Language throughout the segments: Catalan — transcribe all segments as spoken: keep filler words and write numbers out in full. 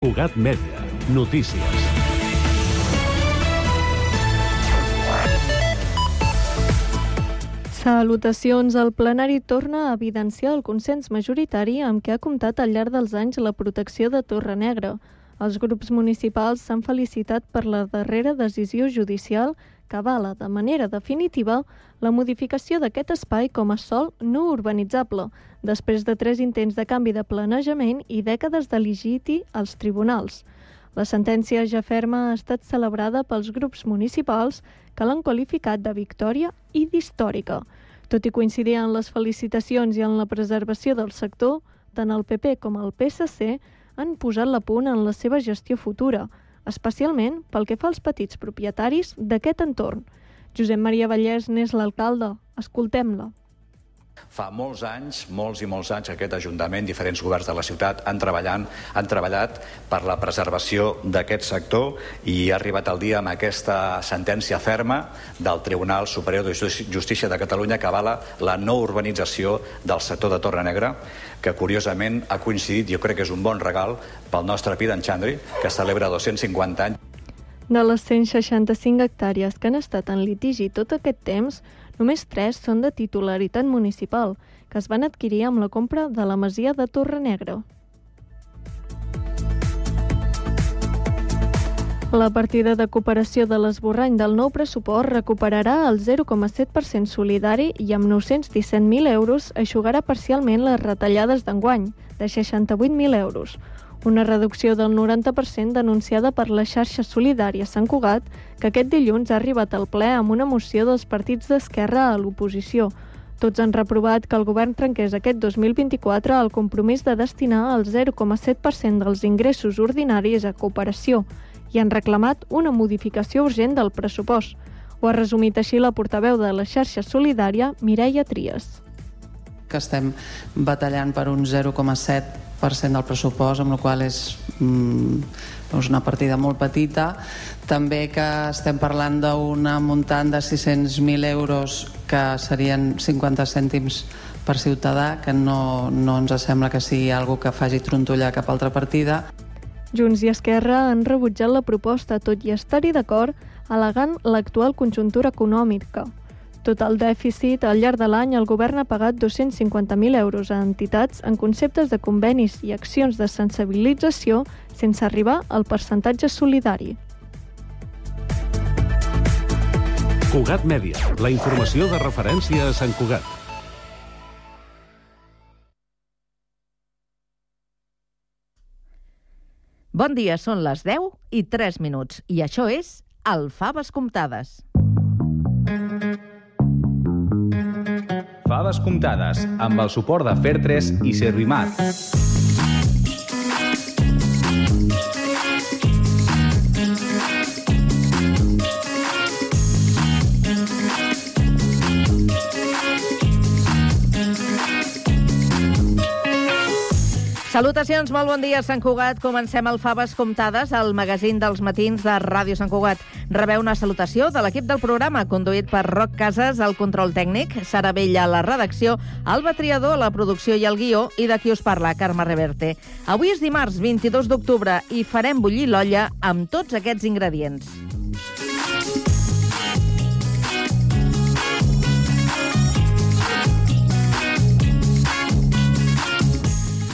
Cugat Mèdia. Notícies. Salutacions. El plenari torna a evidenciar el consens majoritari amb què ha comptat al llarg dels anys la protecció de Torrenegra. Els grups municipals s'han felicitat per la darrera decisió judicial que avala de manera definitiva la modificació d'aquest espai com a sòl no urbanitzable, després de tres intents de canvi de planejament i dècades de litigi als tribunals. La sentència ja ferma ha estat celebrada pels grups municipals que l'han qualificat de victòria i d'històrica. Tot i coincidir en les felicitacions i en la preservació del sector, tant el P P com el P S C han posat la punt en la seva gestió futura, especialment pel que fa als petits propietaris d'aquest entorn. Josep Maria Vallès n'és l'alcalde. Escoltem-la. Fa molts anys, molts i molts anys, aquest Ajuntament, diferents governs de la ciutat han, treballant, han treballat per la preservació d'aquest sector i ha arribat el dia amb aquesta sentència ferma del Tribunal Superior de Justícia de Catalunya que avala la no urbanització del sector de Torrenegra, que curiosament ha coincidit, jo crec que és un bon regal pel nostre Pi d'en Xandri, que celebra dos-cents cinquanta anys. De les cent seixanta-cinc hectàrees que han estat en litigi tot aquest temps, només tres són de titularitat municipal, que es van adquirir amb la compra de la masia de Torrenegra. La partida de cooperació de l'esborrany del nou pressupost recuperarà el zero coma set per cent solidari i amb nou-cents disset mil euros eixugarà parcialment les retallades d'enguany, de seixanta-vuit mil euros. Una reducció del noranta per cent denunciada per la xarxa solidària Sant Cugat, que aquest dilluns ha arribat al ple amb una moció dels partits d'esquerra a l'oposició. Tots han reprovat que el govern trenqués aquest dos mil vint-i-quatre el compromís de destinar el zero coma set per cent dels ingressos ordinaris a cooperació i han reclamat una modificació urgent del pressupost. Ho ha resumit així la portaveu de la xarxa solidària, Mireia Trias. Que estem batallant per un zero coma set per cent del pressupost, amb la qual és mm, una partida molt petita. També que estem parlant d'un muntant de sis-cents mil euros que serien cinquanta cèntims per ciutadà, que no, no ens sembla que sigui alguna que faci trontollar cap altra partida. Junts i Esquerra han rebutjat la proposta, tot i estar-hi d'acord, al·legant l'actual conjuntura econòmica. Tot el dèficit, al llarg de l'any, el govern ha pagat dos-cents cinquanta mil euros a entitats en conceptes de convenis i accions de sensibilització sense arribar al percentatge solidari. Cugat Mèdia, la informació de referència a Sant Cugat. Bon dia, són les deu i tres minuts i això és el Faves Comptades. Faves Comptades, amb el suport de Fertres i Servimat. Salutacions, molt bon dia, Sant Cugat. Comencem el Faves Comptades, el magazín dels matins de Ràdio Sant Cugat. Rebeu una salutació de l'equip del programa, conduït per Roc Casas, el control tècnic, Sara Vella, la redacció, Alba Triador, la producció i el guió, i de qui us parla, Carme Reverte. Avui és dimarts, vint-i-dos d'octubre, i farem bullir l'olla amb tots aquests ingredients.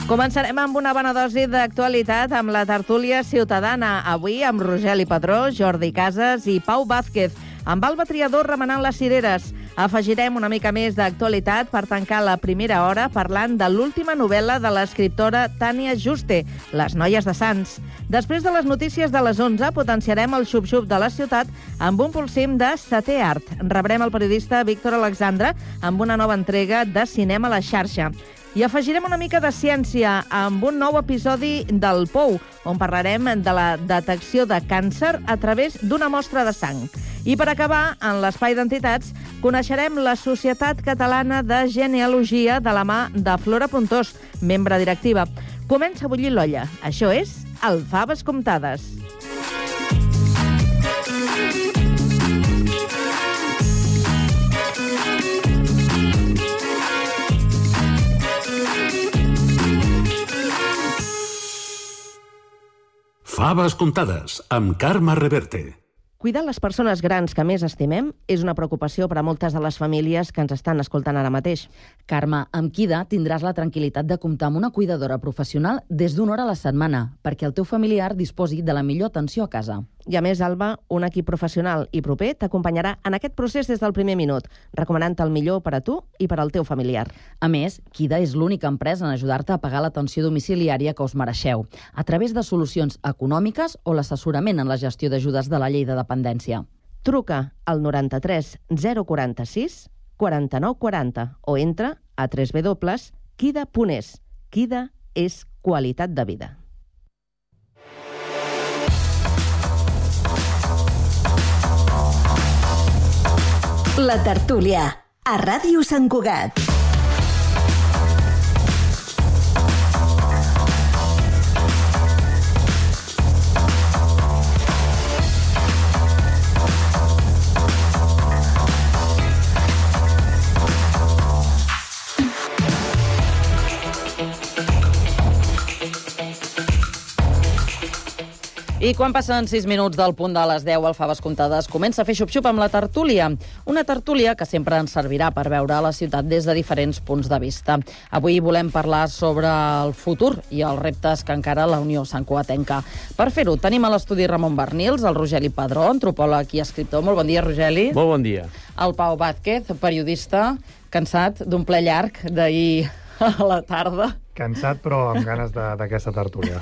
Començarem amb una bona dosi d'actualitat amb la tertúlia ciutadana. Avui amb Rogeli Padró, Jordi Casas i Pau Vázquez, amb Alba Triador remenant les cireres. Afegirem una mica més d'actualitat per tancar la primera hora parlant de l'última novel·la de l'escriptora Tània Juste, Les noies de Sants. Després de les notícies de les onze, potenciarem el xup-xup de la ciutat amb un polsim de setè art. Rebrem el periodista Víctor Alexandre amb una nova entrega de Cinema a la xarxa. I afegirem una mica de ciència amb un nou episodi del Pou, on parlarem de la detecció de càncer a través d'una mostra de sang. I per acabar, en l'espai d'entitats, coneixerem la Societat Catalana de Genealogia de la mà de Flora Puntós, membre directiva. Comença a bullir l'olla. Això és el Faves Comptades. Faves comptades, amb Carme Reverte. Cuidar les persones grans que més estimem és una preocupació per a moltes de les famílies que ens estan escoltant ara mateix. Carme, amb Kida tindràs la tranquil·litat de comptar amb una cuidadora professional des d'una hora a la setmana, perquè el teu familiar disposi de la millor atenció a casa. I a més, Alba, un equip professional i proper t'acompanyarà en aquest procés des del primer minut, recomanant el millor per a tu i per al teu familiar. A més, Kida és l'única empresa en ajudar-te a pagar l'atenció domiciliària que us mereixeu, a través de solucions econòmiques o l'assessorament en la gestió d'ajudes de la llei de dependència. Truca al noranta-tres zero quaranta-sis quaranta-nou quaranta o entra a w w w punt kida punt es. Kida és qualitat de vida. La tertúlia, a Ràdio Sant Cugat. I quan passen sis minuts del punt de les deu al Faves Comptades, comença a fer xup-xup amb la tertúlia. Una tertúlia que sempre ens servirà per veure la ciutat des de diferents punts de vista. Avui volem parlar sobre el futur i els reptes que encara la Unió santcugatenca. Per fer-ho, tenim a l'estudi Ramon Barnils, el Rogeli Padró, antropòleg i escriptor. Molt bon dia, Rogeli. Molt bon dia. El Pau Vázquez, periodista, cansat d'un ple llarg d'ahir a la tarda. Cansat, però amb ganes d'aquesta tertúlia.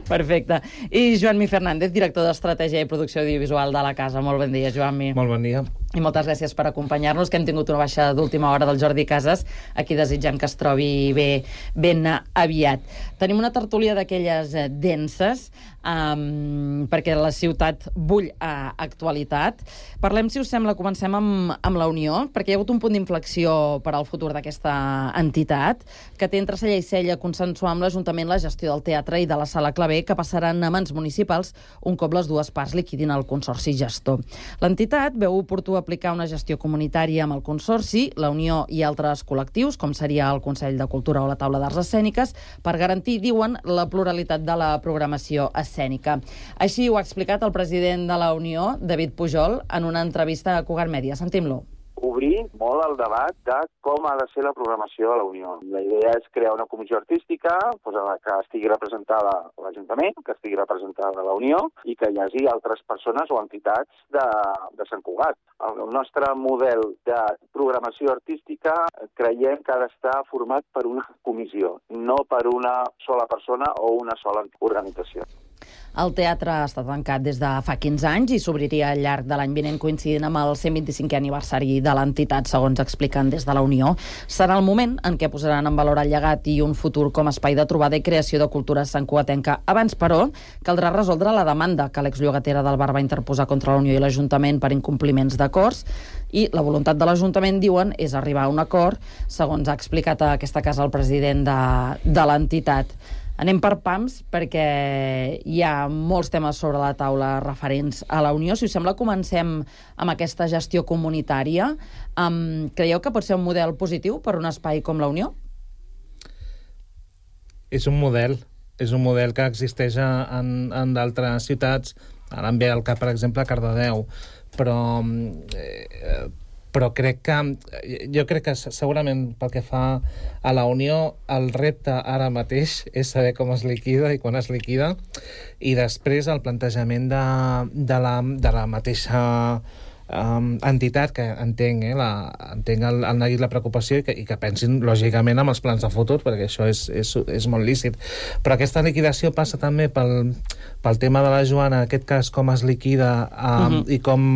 Perfecte. I Joan-Mi Fernández, director d'Estratègia i Producció Audiovisual de la Casa. Molt bon dia, Joan-Mi. Molt bon dia. I moltes gràcies per acompanyar-nos, que hem tingut una baixa d'última hora del Jordi Casas. Aquí desitgem que es trobi bé, ben aviat. Tenim una tertúlia d'aquelles denses, um, perquè la ciutat bull a actualitat. Parlem, si us sembla, comencem amb, amb la Unió, perquè hi ha hagut un punt d'inflexió per al futur d'aquesta entitat, que té entre cella i cella consensuar amb l'Ajuntament la gestió del teatre i de la Sala Clavé, que passaran a mans municipals un cop les dues parts liquidin el consorci gestor. L'entitat veu oportú aplicar una gestió comunitària amb el consorci, la Unió i altres col·lectius, com seria el Consell de Cultura o la Taula d'Arts Escèniques, per garantir, diuen, la pluralitat de la programació escènica. Així ho ha explicat el president de la Unió, David Pujol, en una entrevista a Cugat Mèdia. Sentim-lo. Obrir molt el debat de com ha de ser la programació de la Unió. La idea és crear una comissió artística que estigui representada a l'Ajuntament, que estigui representada a la Unió i que hi hagi altres persones o entitats de, de Sant Cugat. El nostre model de programació artística creiem que ha d'estar format per una comissió, no per una sola persona o una sola organització. El teatre està tancat des de fa quinze anys i s'obriria al llarg de l'any vinent coincidint amb el cent vint-i-cinquè aniversari de l'entitat, segons expliquen des de la Unió. Serà el moment en què posaran en valor el llegat i un futur com a espai de trobada i creació de cultura santcugatenca. Abans, però, caldrà resoldre la demanda que l'exllogatera del bar va interposar contra la Unió i l'Ajuntament per incompliments d'acords, i la voluntat de l'Ajuntament, diuen, és arribar a un acord, segons ha explicat a aquesta casa el president de, de l'entitat. Anem per pams, perquè hi ha molts temes sobre la taula referents a la Unió. Si us sembla, comencem amb aquesta gestió comunitària. Um, creieu que pot ser un model positiu per un espai com la Unió? És un model. És un model que existeix en, en d'altres ciutats. Ara em ve al cap, per exemple, Cardedeu. Però... Eh, però crec que, jo crec que segurament pel que fa a la Unió, el repte ara mateix és saber com es liquida i quan es liquida, i després el plantejament de, de, la, de la mateixa um, entitat, que entenc, eh, la, entenc el, el neguit la preocupació i que, i que pensin lògicament amb els plans de futur, perquè això és, és, és molt lícit. Però aquesta liquidació passa també pel, pel tema de la Joana, en aquest cas com es liquida um, uh-huh. i com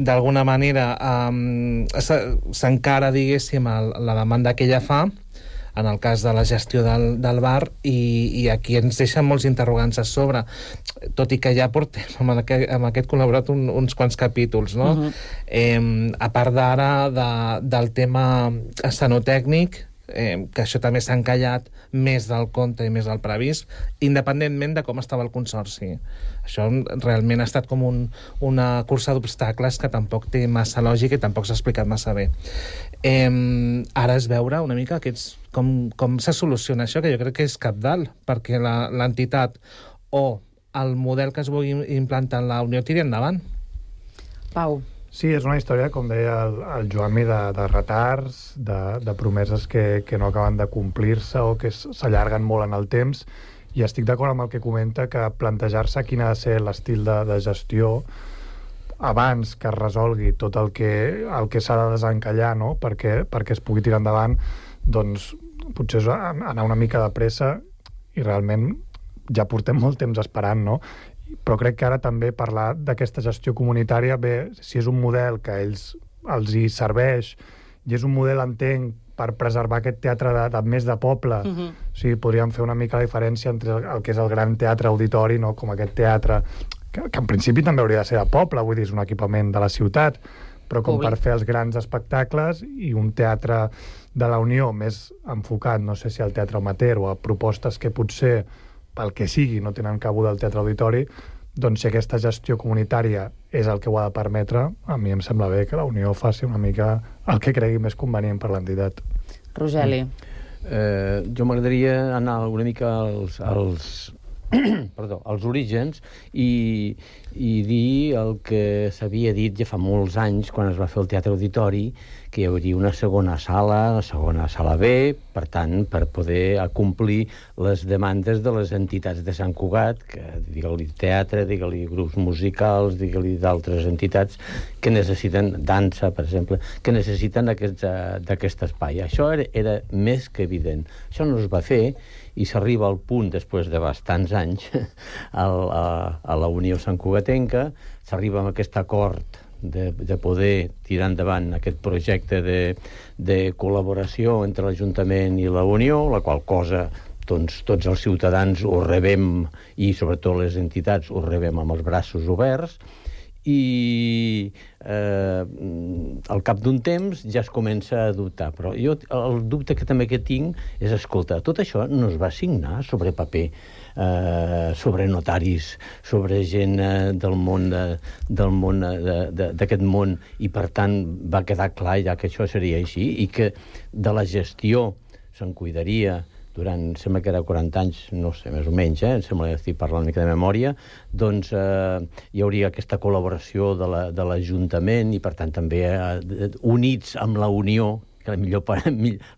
d'alguna manera um, s'encara, diguéssim, el, la demanda que ella fa en el cas de la gestió del, del bar, i, i aquí ens deixen molts interrogants a sobre, tot i que ja portem amb aquest, amb aquest col·laborat un, uns quants capítols, no? Uh-huh. eh, a part d'ara de, del tema escenotècnic, Eh, que això també s'ha encallat més del compte i més del previst, independentment de com estava el consorci. Això realment ha estat com un, una cursa d'obstacles que tampoc té massa lògica i tampoc s'ha explicat massa bé. Eh, ara és veure una mica aquests, com, com se soluciona això, que jo crec que és cabdal, perquè l'entitat o el model que es vol implantar en la Unió tiri endavant. Pau. Sí, és una història, com deia el, el Joanmi, de, de retards, de, de promeses que, que no acaben de complir-se o que s'allarguen molt en el temps, i estic d'acord amb el que comenta, que plantejar-se quin ha de ser l'estil de, de gestió abans que es resolgui tot el que, el que s'ha de desencallar, no? perquè, perquè es pugui tirar endavant, doncs potser és anar una mica de pressa, i realment ja portem molt temps esperant, no? Però crec que ara també parlar d'aquesta gestió comunitària, bé, si és un model que a ells els hi serveix, i és un model, entenc, per preservar aquest teatre de, de més de poble, uh-huh. o sigui, podríem fer una mica la diferència entre el, el que és el gran teatre auditori, no? Com aquest teatre, que, que en principi també hauria de ser de poble, vull dir, és un equipament de la ciutat, però com Públic. Per fer els grans espectacles, i un teatre de la Unió més enfocat, no sé si al teatre amateur o a propostes que potser pel que sigui, no tenen cabuda al teatre auditori, doncs si aquesta gestió comunitària és el que ho ha de permetre, a mi em sembla bé que la Unió faci una mica el que cregui més convenient per l'entitat. Rogeli. Eh, jo m'agradaria anar una mica als, als, perdó, als orígens i, i dir el que s'havia dit ja fa molts anys, quan es va fer el Teatre Auditori, que hi hauria una segona sala, una segona sala B, per tant, per poder acomplir les demandes de les entitats de Sant Cugat, que digue-li teatre, digue-li grups musicals, digue-li d'altres entitats que necessiten dansa, per exemple, que necessiten aquest, uh, d'aquest espai. Això era, era més que evident. Això no es va fer, i s'arriba al punt, després de bastants anys, a, a, a la Unió Santcugatenca, s'arriba amb aquest acord de, de poder tirar endavant aquest projecte de, de col·laboració entre l'Ajuntament i la Unió, la qual cosa doncs, tots els ciutadans ho rebem, i sobretot les entitats ho rebem amb els braços oberts, i eh, al cap d'un temps ja es comença a dubtar. Però jo el dubte que també que tinc és, escolta, tot això no es va signar sobre paper, eh, sobre notaris, sobre gent eh, del món de, del món d'aquest món, i per tant va quedar clar ja que això seria així, i que de la gestió se'n cuidaria durant, sembla que era quaranta anys, no sé, més o menys, eh? Em sembla que estic parlant una mica de memòria, doncs eh, hi hauria aquesta col·laboració de la, de l'Ajuntament, i per tant també eh, units amb la Unió, que millor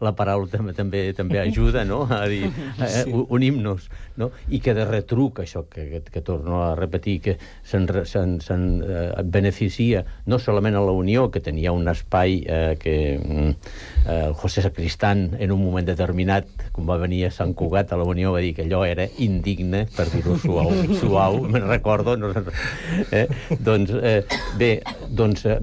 la paraula també, també, també ajuda, no?, a dir, eh, unim-nos, no? I que de retruc, això que, que, que torno a repetir, que se'n se se eh, beneficia no solament a la Unió, que tenia un espai eh, que eh, el José Sacristán, en un moment determinat, quan va venir a Sant Cugat a la Unió, va dir que allò era indigne, per dir-ho suau, suau, me'n recordo, no, eh? Doncs, eh, bé, doncs, eh,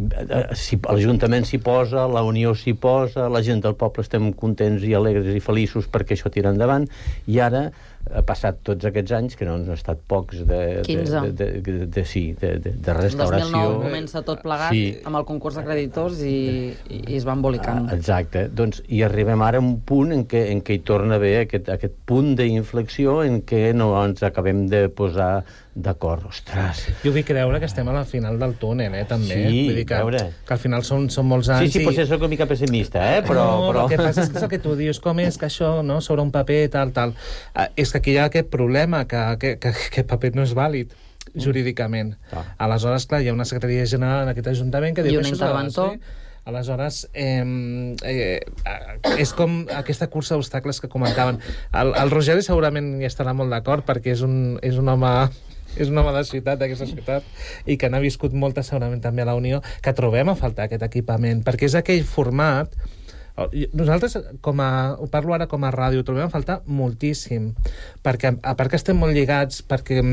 si l'Ajuntament s'hi posa, la Unió s'hi posa, la gent del poble estem contents i alegres i feliços perquè això tira endavant, i ara ha passat tots aquests anys, que no han estat pocs, de, quinze. De, de, de, de, de, sí, de, de, de restauració. dos mil nou comença tot plegat, sí, amb el concurs de creditors, i, i es va embolicant. Exacte. Doncs, i arribem ara a un punt en què, en què hi torna a haver aquest, aquest punt d'inflexió en què no ens acabem de posar d'acord. Ostres! Jo vull creure que estem a la final del túnel, eh, també. Sí, vull dir que, veure. que al final són, són molts anys. Sí, sí, i... potser soc una mica pessimista, eh? Però, no, però... el que passa és que, és el que tu dius, com és que això, no?, sobre un paper, tal, tal. Uh, és que aquí hi ha aquest problema, que aquest paper no és vàlid jurídicament. Ah. Aleshores, clar, hi ha una secretaria general en aquest Ajuntament que diu I un que això interventor. Aleshores, eh, eh, és com aquesta cursa d'obstacles que comentaven. El, el Rogeri segurament hi estarà molt d'acord, perquè és un, és un home... és un home de ciutat, d'aquesta ciutat, i que n'ha viscut molta segurament també a la Unió, que trobem a faltar aquest equipament, perquè és aquell format. Nosaltres, com a, ho parlo ara com a ràdio, trobem a faltar moltíssim, perquè a part que estem molt lligats, perquè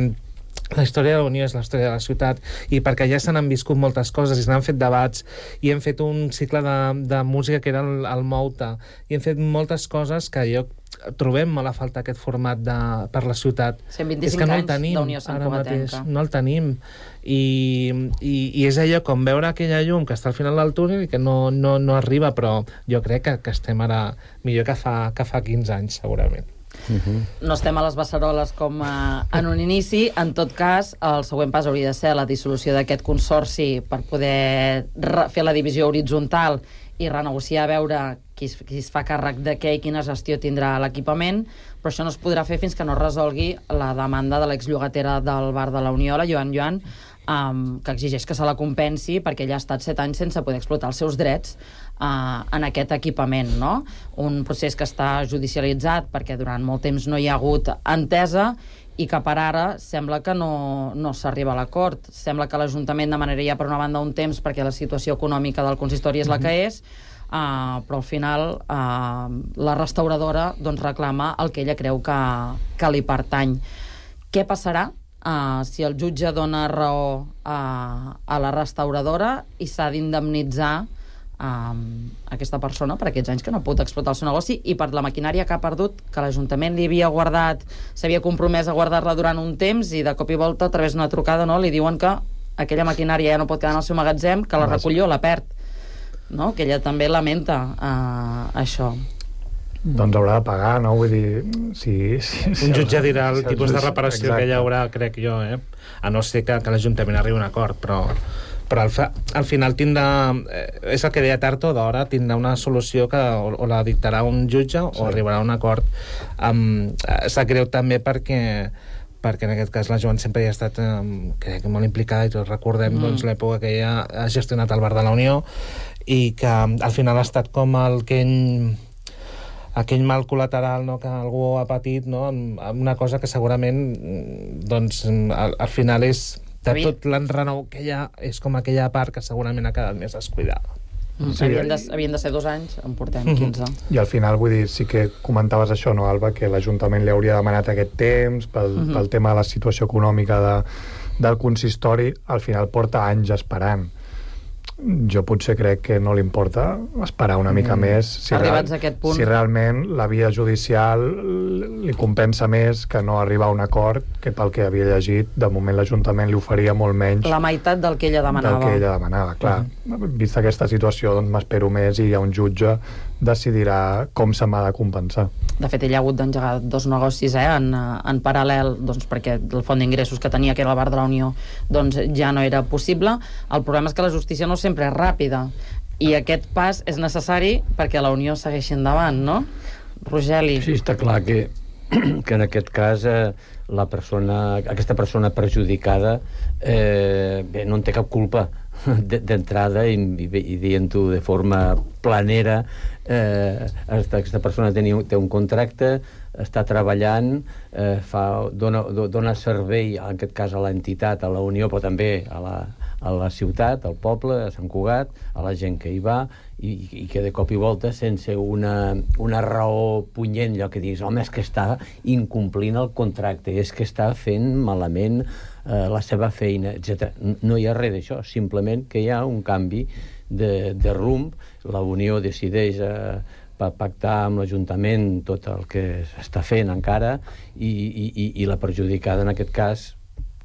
la història de la Unió és la història de la ciutat, i perquè ja se n'han viscut moltes coses i se n'han fet debats, i hem fet un cicle de, de música que era el, el Mouta, i hem fet moltes coses que jo trobem molt a falta aquest format de, per la ciutat. cent vint-i-cinc és que no el anys tenim, d'Unió Santcugatenca. No el tenim. I, i, i és allò com veure aquella llum que està al final del túnel i que no, no, no arriba, però jo crec que, que estem ara millor que fa, que fa quinze anys, segurament. Uh-huh. No estem a les beceroles com a, en un inici. En tot cas, el següent pas hauria de ser la dissolució d'aquest consorci per poder fer la divisió horitzontal i renegociar a veure qui es, qui es fa càrrec de què i quina gestió tindrà l'equipament, però això no es podrà fer fins que no es resolgui la demanda de l'exllogatera del bar de la Unió, la Joan Joan, um, que exigeix que se la compensi perquè ella ha estat set anys sense poder explotar els seus drets uh, en aquest equipament, no? Un procés que està judicialitzat perquè durant molt temps no hi ha hagut entesa i que per ara sembla que no, no s'arriba a l'acord. Sembla que l'Ajuntament demanaria per una banda un temps perquè la situació econòmica del consistori és la que és, uh, però al final uh, la restauradora doncs, reclama el que ella creu que, que li pertany. Què passarà uh, si el jutge dona raó uh, a la restauradora i s'ha d'indemnitzar Um, aquesta persona per aquests anys que no ha pogut explotar el seu negoci i per la maquinària que ha perdut, que l'Ajuntament li havia guardat, s'havia compromès a guardar-la durant un temps i de cop i volta a través d'una trucada, no, li diuen que aquella maquinària ja no pot quedar en el seu magatzem, que la recolló, la perd, no? Que ella també lamenta uh, això. Doncs haurà de pagar, no? Vull dir, si... si, si un jutge dirà el si tipus el de reparació exacte. que hi haurà, crec jo, eh? A no ser que, que l'Ajuntament arribi a un acord, però... però al, fa, al final tindrà, eh, és el que deia Tarto, d'hora tindrà una solució que o, o la dictarà un jutge o sí. arribarà a un acord. Um, sap greu també perquè perquè en aquest cas la Joan sempre hi ha estat um, crec que molt implicada i tots recordem mm. doncs, l'època que ella ha gestionat el bar de la Unió i que al final ha estat com el que ell aquell mal col·lateral, no, que algú ha patit, no, amb, amb una cosa que segurament doncs, al, al final és de tot l'enrenou que hi ha, és com aquella part que segurament ha quedat més descuidada. Mm. Sí, havien, de, havien de ser dos anys, en portem quinze. I al final, vull dir, sí que comentaves això, no, Alba, que l'Ajuntament li hauria demanat aquest temps pel, mm-hmm. pel tema de la situació econòmica de, del consistori, al final porta anys esperant. Jo potser crec que no li importa esperar una mica mm. més si, arribats a aquest punt. Si realment la via judicial li compensa més que no arribar a un acord que pel que havia llegit, de moment l'Ajuntament li oferia molt menys la meitat del que ella demanava. Del que ella demanava, clar. Mm. Vista aquesta situació, doncs m'espero més i hi ha un jutge decidirà com se m'ha de compensar. De fet, ella ha hagut d'engegar dos negocis eh, en, en paral·lel, doncs, perquè el font d'ingressos que tenia, que era el bar de la Unió, doncs ja no era possible. El problema és que la justícia no sempre és ràpida i aquest pas és necessari perquè la Unió segueixi endavant, no? Rogeli. Sí, està clar que, que en aquest cas eh, la persona, aquesta persona perjudicada eh, bé, no en té cap culpa d'entrada i, i, i dient-ho de forma planera. Eh, aquesta persona tenia, té un contracte, està treballant, eh, fa, dona, dona servei, en aquest cas a l'entitat, a la Unió, però també a la, a la ciutat, al poble, a Sant Cugat, a la gent que hi va, i, i que de cop i volta, sense una, una raó punyent, allò que diguis, home, és que està incomplint el contracte, és que està fent malament eh, la seva feina, etcètera. No hi ha res d'això, simplement que hi ha un canvi de, de rumb. La Unió decideix eh, pactar amb l'Ajuntament tot el que s'està fent encara i, i, i la perjudicada en aquest cas,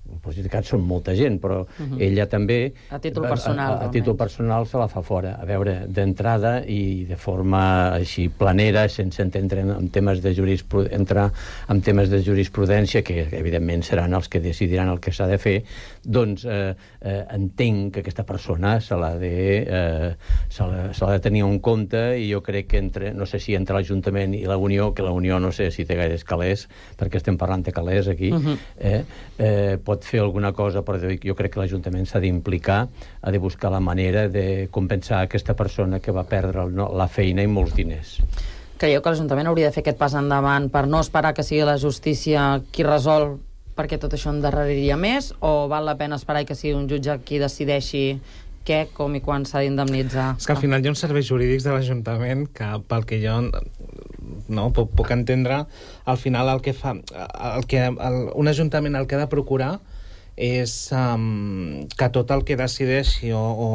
els perjudicats són molta gent, però uh-huh. ella també a títol personal, a, a, a títol personal se la fa fora, a veure, d'entrada i de forma així planera, sense entendre en temes de jurisprudència, entrar en temes de jurisprudència que evidentment seran els que decidiran el que s'ha de fer, doncs eh, eh, entenc que aquesta persona se l'ha de eh, se l'ha, se l'ha de tenir en compte i jo crec que entre, no sé si entre l'Ajuntament i la Unió, que la Unió no sé si té gaires calés, perquè estem parlant de calés aquí, uh-huh. eh, eh, pot fer alguna cosa, però jo crec que l'Ajuntament s'ha d'implicar, ha de buscar la manera de compensar aquesta persona que va perdre el, no, la feina i molts diners. Creieu que l'Ajuntament hauria de fer aquest pas endavant per no esperar que sigui la justícia qui resol perquè tot això endarreriria més, o val la pena esperar que sigui un jutge qui decideixi què, com i quan s'ha d'indemnitzar? És que al final hi ha uns serveis jurídics de l'Ajuntament que, pel que jo no, puc, puc entendre, al final el que fa el que, el, un Ajuntament el que ha de procurar és um, que tot el que decideixi o, o,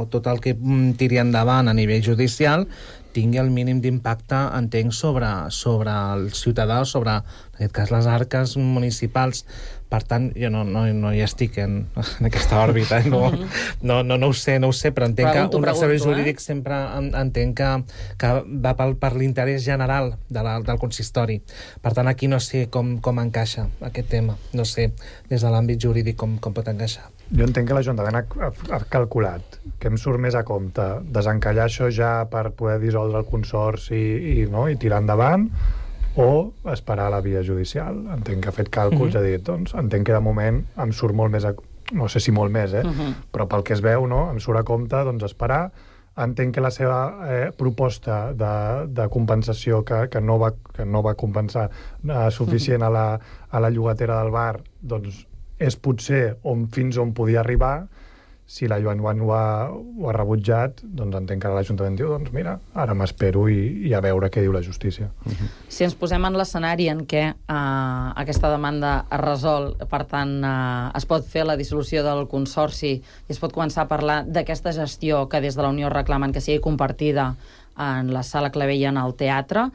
o tot el que tiri endavant a nivell judicial tingui el mínim d'impacte, entenc, sobre, sobre el ciutadà o sobre, en aquest cas, les arques municipals, Per tant, jo no, no, no hi estic en, en aquesta òrbita, no, no, no, no ho sé, no ho sé, però entenc Pregunto, que un dels serveis pregunto, eh? jurídics sempre en, entenc que, que va pel, per l'interès general de la, del consistori. Per tant, aquí no sé com, com encaixa aquest tema, no sé des de l'àmbit jurídic com, com pot encaixar. Jo entenc que l'Ajuntament ha, ha, ha calculat que em surt més a compte desencallar això ja per poder dissoldre el consorci i, no, i tirar endavant, o esperar la via judicial. Entenc que ha fet càlculs, mm-hmm. ha dit, doncs, entenc que de moment em surt molt més a, no sé si molt més, eh? Uh-huh. Però pel que es veu, no, em surt a compte, doncs, esperar. Entenc que la seva eh, proposta de, de compensació que, que, no va, que no va compensar eh, suficient a la, a la llogatera del bar, doncs, és potser on, fins on podia arribar. Si la Joan Joan ho ha, ho ha rebutjat, doncs entenc que l'Ajuntament diu, doncs mira, ara m'espero i, i a veure què diu la justícia. Uh-huh. Si ens posem en l'escenari en què uh, aquesta demanda es resol, per tant, uh, es pot fer la dissolució del consorci i es pot començar a parlar d'aquesta gestió que des de la Unió reclamen que sigui compartida en la Sala Clavell en el teatre,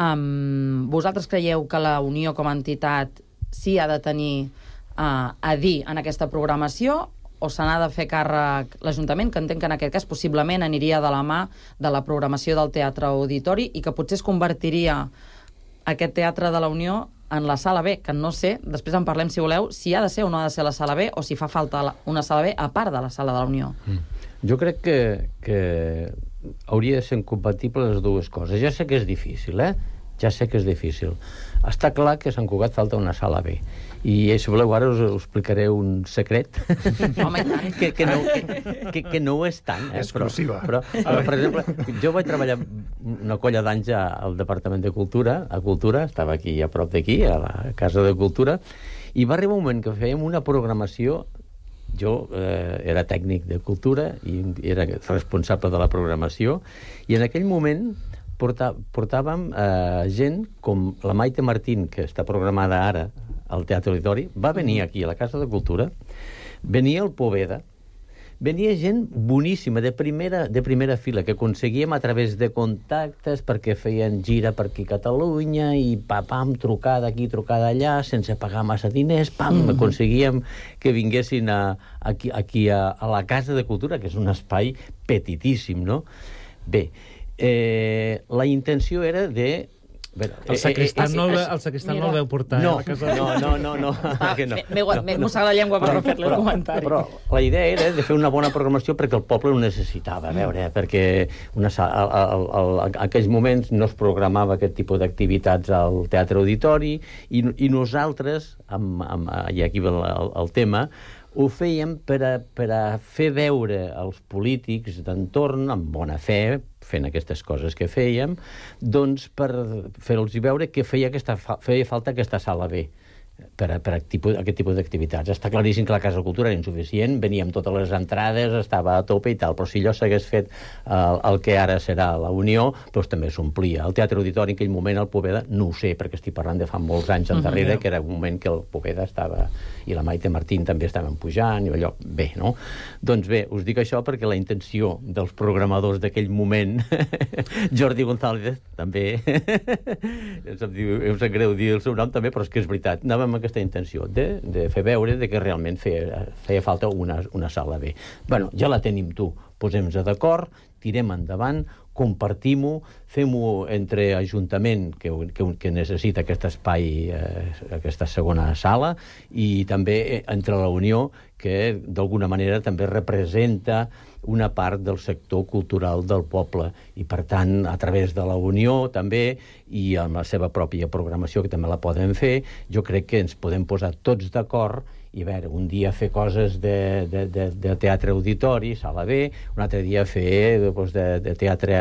um, vosaltres creieu que la Unió com a entitat sí ha de tenir uh, a dir en aquesta programació, o se n'ha de fer càrrec l'Ajuntament, que entenc que en aquest cas possiblement aniria de la mà de la programació del Teatre Auditori i que potser es convertiria aquest Teatre de la Unió en la Sala B, que no sé, després en parlem si voleu, si ha de ser o no ha de ser la Sala B, o si fa falta una Sala B a part de la Sala de la Unió. Mm. Jo crec que, que hauria de ser incompatible les dues coses. Ja sé que és difícil, eh? Ja sé que és difícil. Està clar que a Sant Cugat falta una Sala B. I si voleu, ara us, us explicaré un secret. Home, que, que, no, que, que, que no ho és tant. Eh? Exclusiva. Però, però, per exemple, jo vaig treballar una colla d'anys al Departament de Cultura, a Cultura, estava aquí a prop d'aquí, a la Casa de Cultura, i va arribar un moment que fèiem una programació. Jo eh, era tècnic de cultura i era responsable de la programació, i en aquell moment portà, portàvem eh, gent com la Maite Martín, que està programada ara al Teatre Auditori, va venir aquí a la Casa de Cultura, venia el Poveda, venia gent boníssima, de primera, de primera fila, que aconseguíem a través de contactes, perquè feien gira per aquí a Catalunya, i pa, pam, trucada aquí, trucada allà, sense pagar massa diners, pam, mm-hmm. aconseguíem que vinguessin a, aquí, aquí a, a la Casa de Cultura, que és un espai petitíssim, no? Bé, eh, la intenció era de... Bé, el sacristan, eh, eh, no, el, el sacristan no el veu portar no, eh, a la casa. No, no, no, no, ah, que no. M'he no, no. mossat la llengua per no fer-li el comentari. Però la idea era de fer una bona programació perquè el poble ho necessitava, a veure, eh, perquè una, a, a, a, a aquells moments no es programava aquest tipus d'activitats al Teatre Auditori, i, i nosaltres, amb, amb, i aquí ve el, el, el tema, ho fèiem per a, per a fer veure als polítics d'entorn, amb bona fe, fent aquestes coses que fèiem, doncs per fer-los veure que feia, aquesta, feia falta aquesta Sala B per a, per a tipus, aquest tipus d'activitats. Està claríssim que la Casa de Cultura era insuficient, veníem totes les entrades, estava a tope i tal, però si allò s'hagués fet el, el que ara serà la Unió, doncs també s'omplia. El Teatre Auditori en aquell moment, el Poveda, no ho sé, perquè estic parlant de fa molts anys endarrere, uh-huh. que era un moment que el Poveda estava, i la Maite Martín també estaven pujant, i allò, bé, no? Doncs bé, us dic això perquè la intenció dels programadors d'aquell moment, Jordi González, també, em sap greu dir el seu nom també, però és que és veritat, anàvem amb aquesta intenció de, de fer veure de que realment feia, feia falta una, una Sala B. Bueno, ja la tenim, tu. Posem-nos d'acord, tirem endavant, compartim-ho, fem-ho entre Ajuntament, que, que, que necessita aquest espai, eh, aquesta segona sala, i també entre la Unió, que d'alguna manera també representa una part del sector cultural del poble, i per tant a través de la Unió també, i amb la seva pròpia programació, que també la poden fer, jo crec que ens podem posar tots d'acord i a veure, un dia fer coses de, de, de, de teatre auditori, Sala B, un altre dia fer doncs, de, de teatre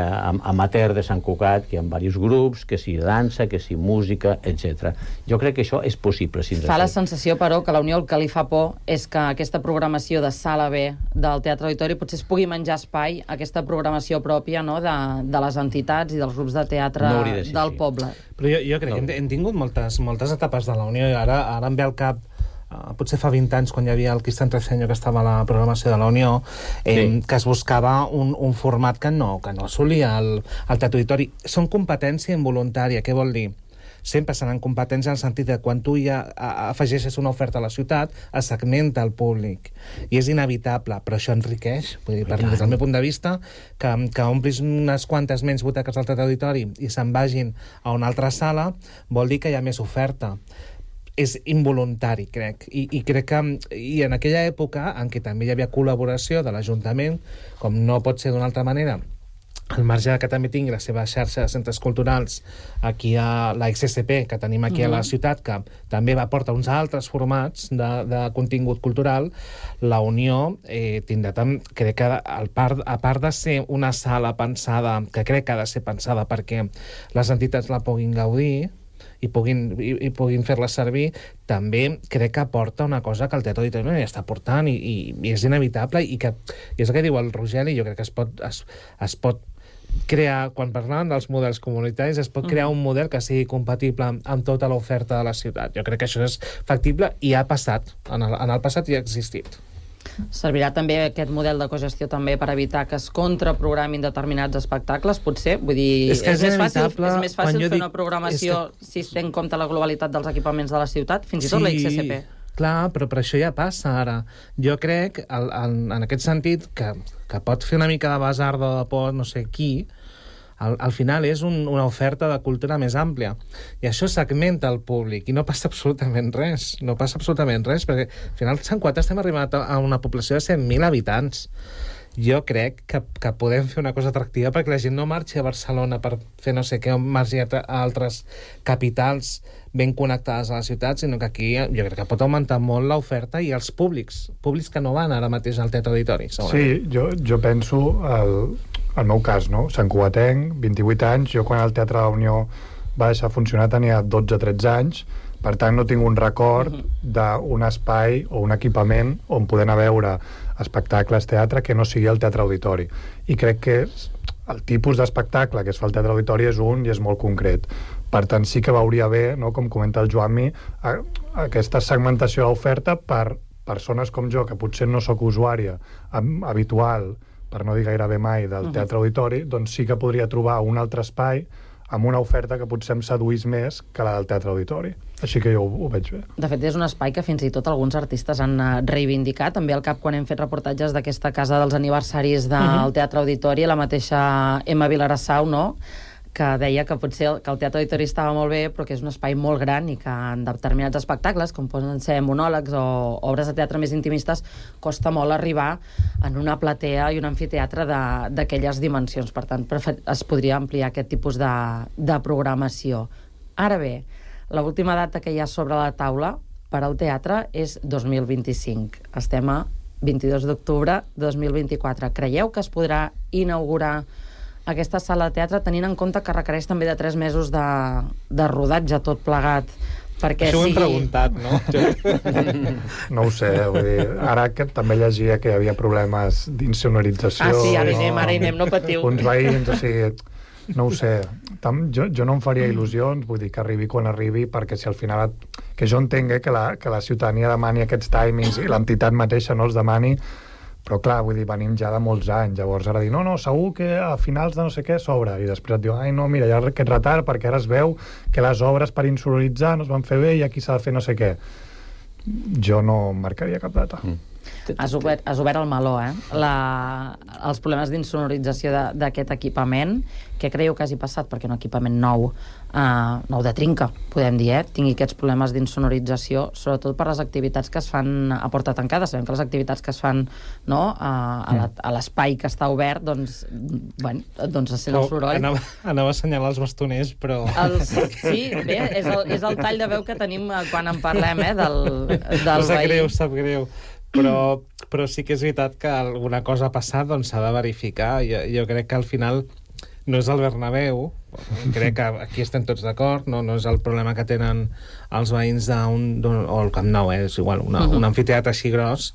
amateur de Sant Cugat, que hi ha diversos grups, que si dansa, que si música, etcètera. Jo crec que això és possible. Si fa la sensació, però, que la Unió el que li fa por és que aquesta programació de Sala B del Teatre Auditori potser es pugui menjar espai, aquesta programació pròpia, no?, de, de les entitats i dels grups de teatre no de ser, del sí. poble. Però jo, jo crec no. que hem, hem tingut moltes, moltes etapes de la Unió, i ara, ara em ve al cap Uh, potser fa vint anys, quan hi havia el Cristian Treceño, que estava a la programació de la Unió, eh, sí. que es buscava un, un format que no, que no assolia el, el Teatre Auditori. Són competència involuntària. Què vol dir? sempre seran competents en el sentit de quan tu ja afegeixes una oferta a la ciutat, es segmenta el públic. I és inevitable, però això enriqueix. Vull dir, per, des del meu punt de vista, que, que omplis unes quantes menys butaques al Teatre Auditori i se'n vagin a una altra sala, vol dir que hi ha més oferta. És involuntari, crec. I, i crec que i en aquella època en què també hi havia col·laboració de l'Ajuntament, com no pot ser d'una altra manera, al marge que també tingui la seva xarxa de centres culturals aquí a la X S P, que tenim aquí uh-huh. a la ciutat, que també va portar uns altres formats de, de contingut cultural, la Unió eh, tindrà tam, crec que al part, a part de ser una sala pensada, que crec que ha de ser pensada perquè les entitats la puguin gaudir, i puguin, i, i puguin fer-la servir, també crec que aporta una cosa que el Teatre Auditori no hi està portant i, i, i és inevitable i, que, i és el que diu el Rogeli, jo crec que es pot, es, es pot crear, quan parlàvem dels models comunitaris, es pot crear un model que sigui compatible amb, amb tota l'oferta de la ciutat. Jo crec que això és factible i ha passat, en el, en el passat i ha existit. Servirà també aquest model de cogestió també per evitar que es contraprogramin determinats espectacles, potser? Vull dir, és, és, és més fàcil, és més fàcil fer dic, una programació que... si es té en compte la globalitat dels equipaments de la ciutat, fins i tot sí, la X S P. Clar, però per això ja passa ara. Jo crec, el, el, en aquest sentit, que, que pot fer una mica de basarda de por no sé qui, Al, al final és un, una oferta de cultura més àmplia i això segmenta el públic i no passa absolutament res, no passa absolutament res perquè al final Sant Cugat estem arribant a una població de cent mil habitants. Jo crec que, que podem fer una cosa atractiva perquè la gent no marxi a Barcelona per fer no sé què o marxi a, a altres capitals ben connectades a la ciutat, sinó que aquí jo crec que pot augmentar molt l'oferta i els públics, públics que no van ara mateix al Teatre Auditori. Sí, jo, jo penso el, el meu cas, no? Sant Cugatenc, vint-i-vuit anys, jo quan el Teatre de la Unió va deixar funcionar tenia dotze tretze anys, per tant no tinc un record d'un espai o un equipament on poder anar a veure espectacles, teatre, que no sigui el Teatre Auditori. I crec que el tipus d'espectacle que es fa al Teatre Auditori és un i és molt concret. Per tant, sí que veuria bé, no, com comenta el Joanmi, a, a aquesta segmentació de l'oferta per persones com jo, que potser no sóc usuària habitual, per no dir gairebé mai, del Teatre Auditori, doncs sí que podria trobar un altre espai amb una oferta que potser em seduís més que la del Teatre Auditori. Així que jo ho, ho veig bé. De fet, és un espai que fins i tot alguns artistes han reivindicat. També al cap, quan hem fet reportatges d'aquesta casa dels aniversaris del uh-huh. Teatre Auditori, la mateixa Emma Vilarassau, no?, que deia que potser el, que el Teatre Auditori estava molt bé, però que és un espai molt gran i que en determinats espectacles, com poden ser monòlegs o obres de teatre més intimistes, costa molt arribar en una platea i un amfiteatre d'aquelles dimensions. Per tant, es podria ampliar aquest tipus de, de programació. Ara bé, l'última data que hi ha sobre la taula per al teatre és dos mil vint-i-cinc. Estem a vint-i-dos d'octubre de dos mil vint-i-quatre. Creieu que es podrà inaugurar aquesta sala de teatre, tenint en compte que requereix també de tres mesos de, de rodatge tot plegat, perquè això sigui... ho hem preguntat, no? No ho sé, vull dir, ara que també llegia que hi havia problemes d'insonorització. Ah, sí, ara hi anem, ara hi anem, no patiu. Uns veïns, o sigui, no ho sé. Tam, jo, jo no em faria il·lusions, vull dir, que arribi quan arribi, perquè si al final... Que jo entenc eh, que, la, que la ciutadania demani aquests timings i l'entitat mateixa no els demani, però clar, vull dir, venim ja de molts anys, llavors ara dir, no, no, segur que a finals de no sé què s'obre, i després et diu, ai no, mira, hi ha aquest retard perquè ara es veu que les obres per insonoritzar no es van fer bé i aquí s'ha de fer no sé què. Jo no marcaria cap data. Mm. Has obert, has obert el meló, eh? La, els problemes d'insonorització d'aquest equipament, què creieu que hagi passat? Perquè un equipament nou, uh, nou de trinca, podem dir, eh? Tingui aquests problemes d'insonorització, sobretot per les activitats que es fan a porta tancada. Sabem que les activitats que es fan, no, a, a l'espai que està obert, doncs, bueno, doncs es sent el soroll. Anava, anava a assenyalar els bastoners, però... Els, sí, bé, és el, és el tall de veu que tenim quan en parlem, eh, del, del sap veí. greu, sap greu. Però, però sí que és veritat que alguna cosa ha passat, doncs s'ha de verificar. Jo, jo crec que al final no és el Bernabéu, crec que aquí estem tots d'acord, no, no és el problema que tenen els veïns d'un, o el Camp Nou, eh, és igual, una, uh-huh. un amfiteatre així gros,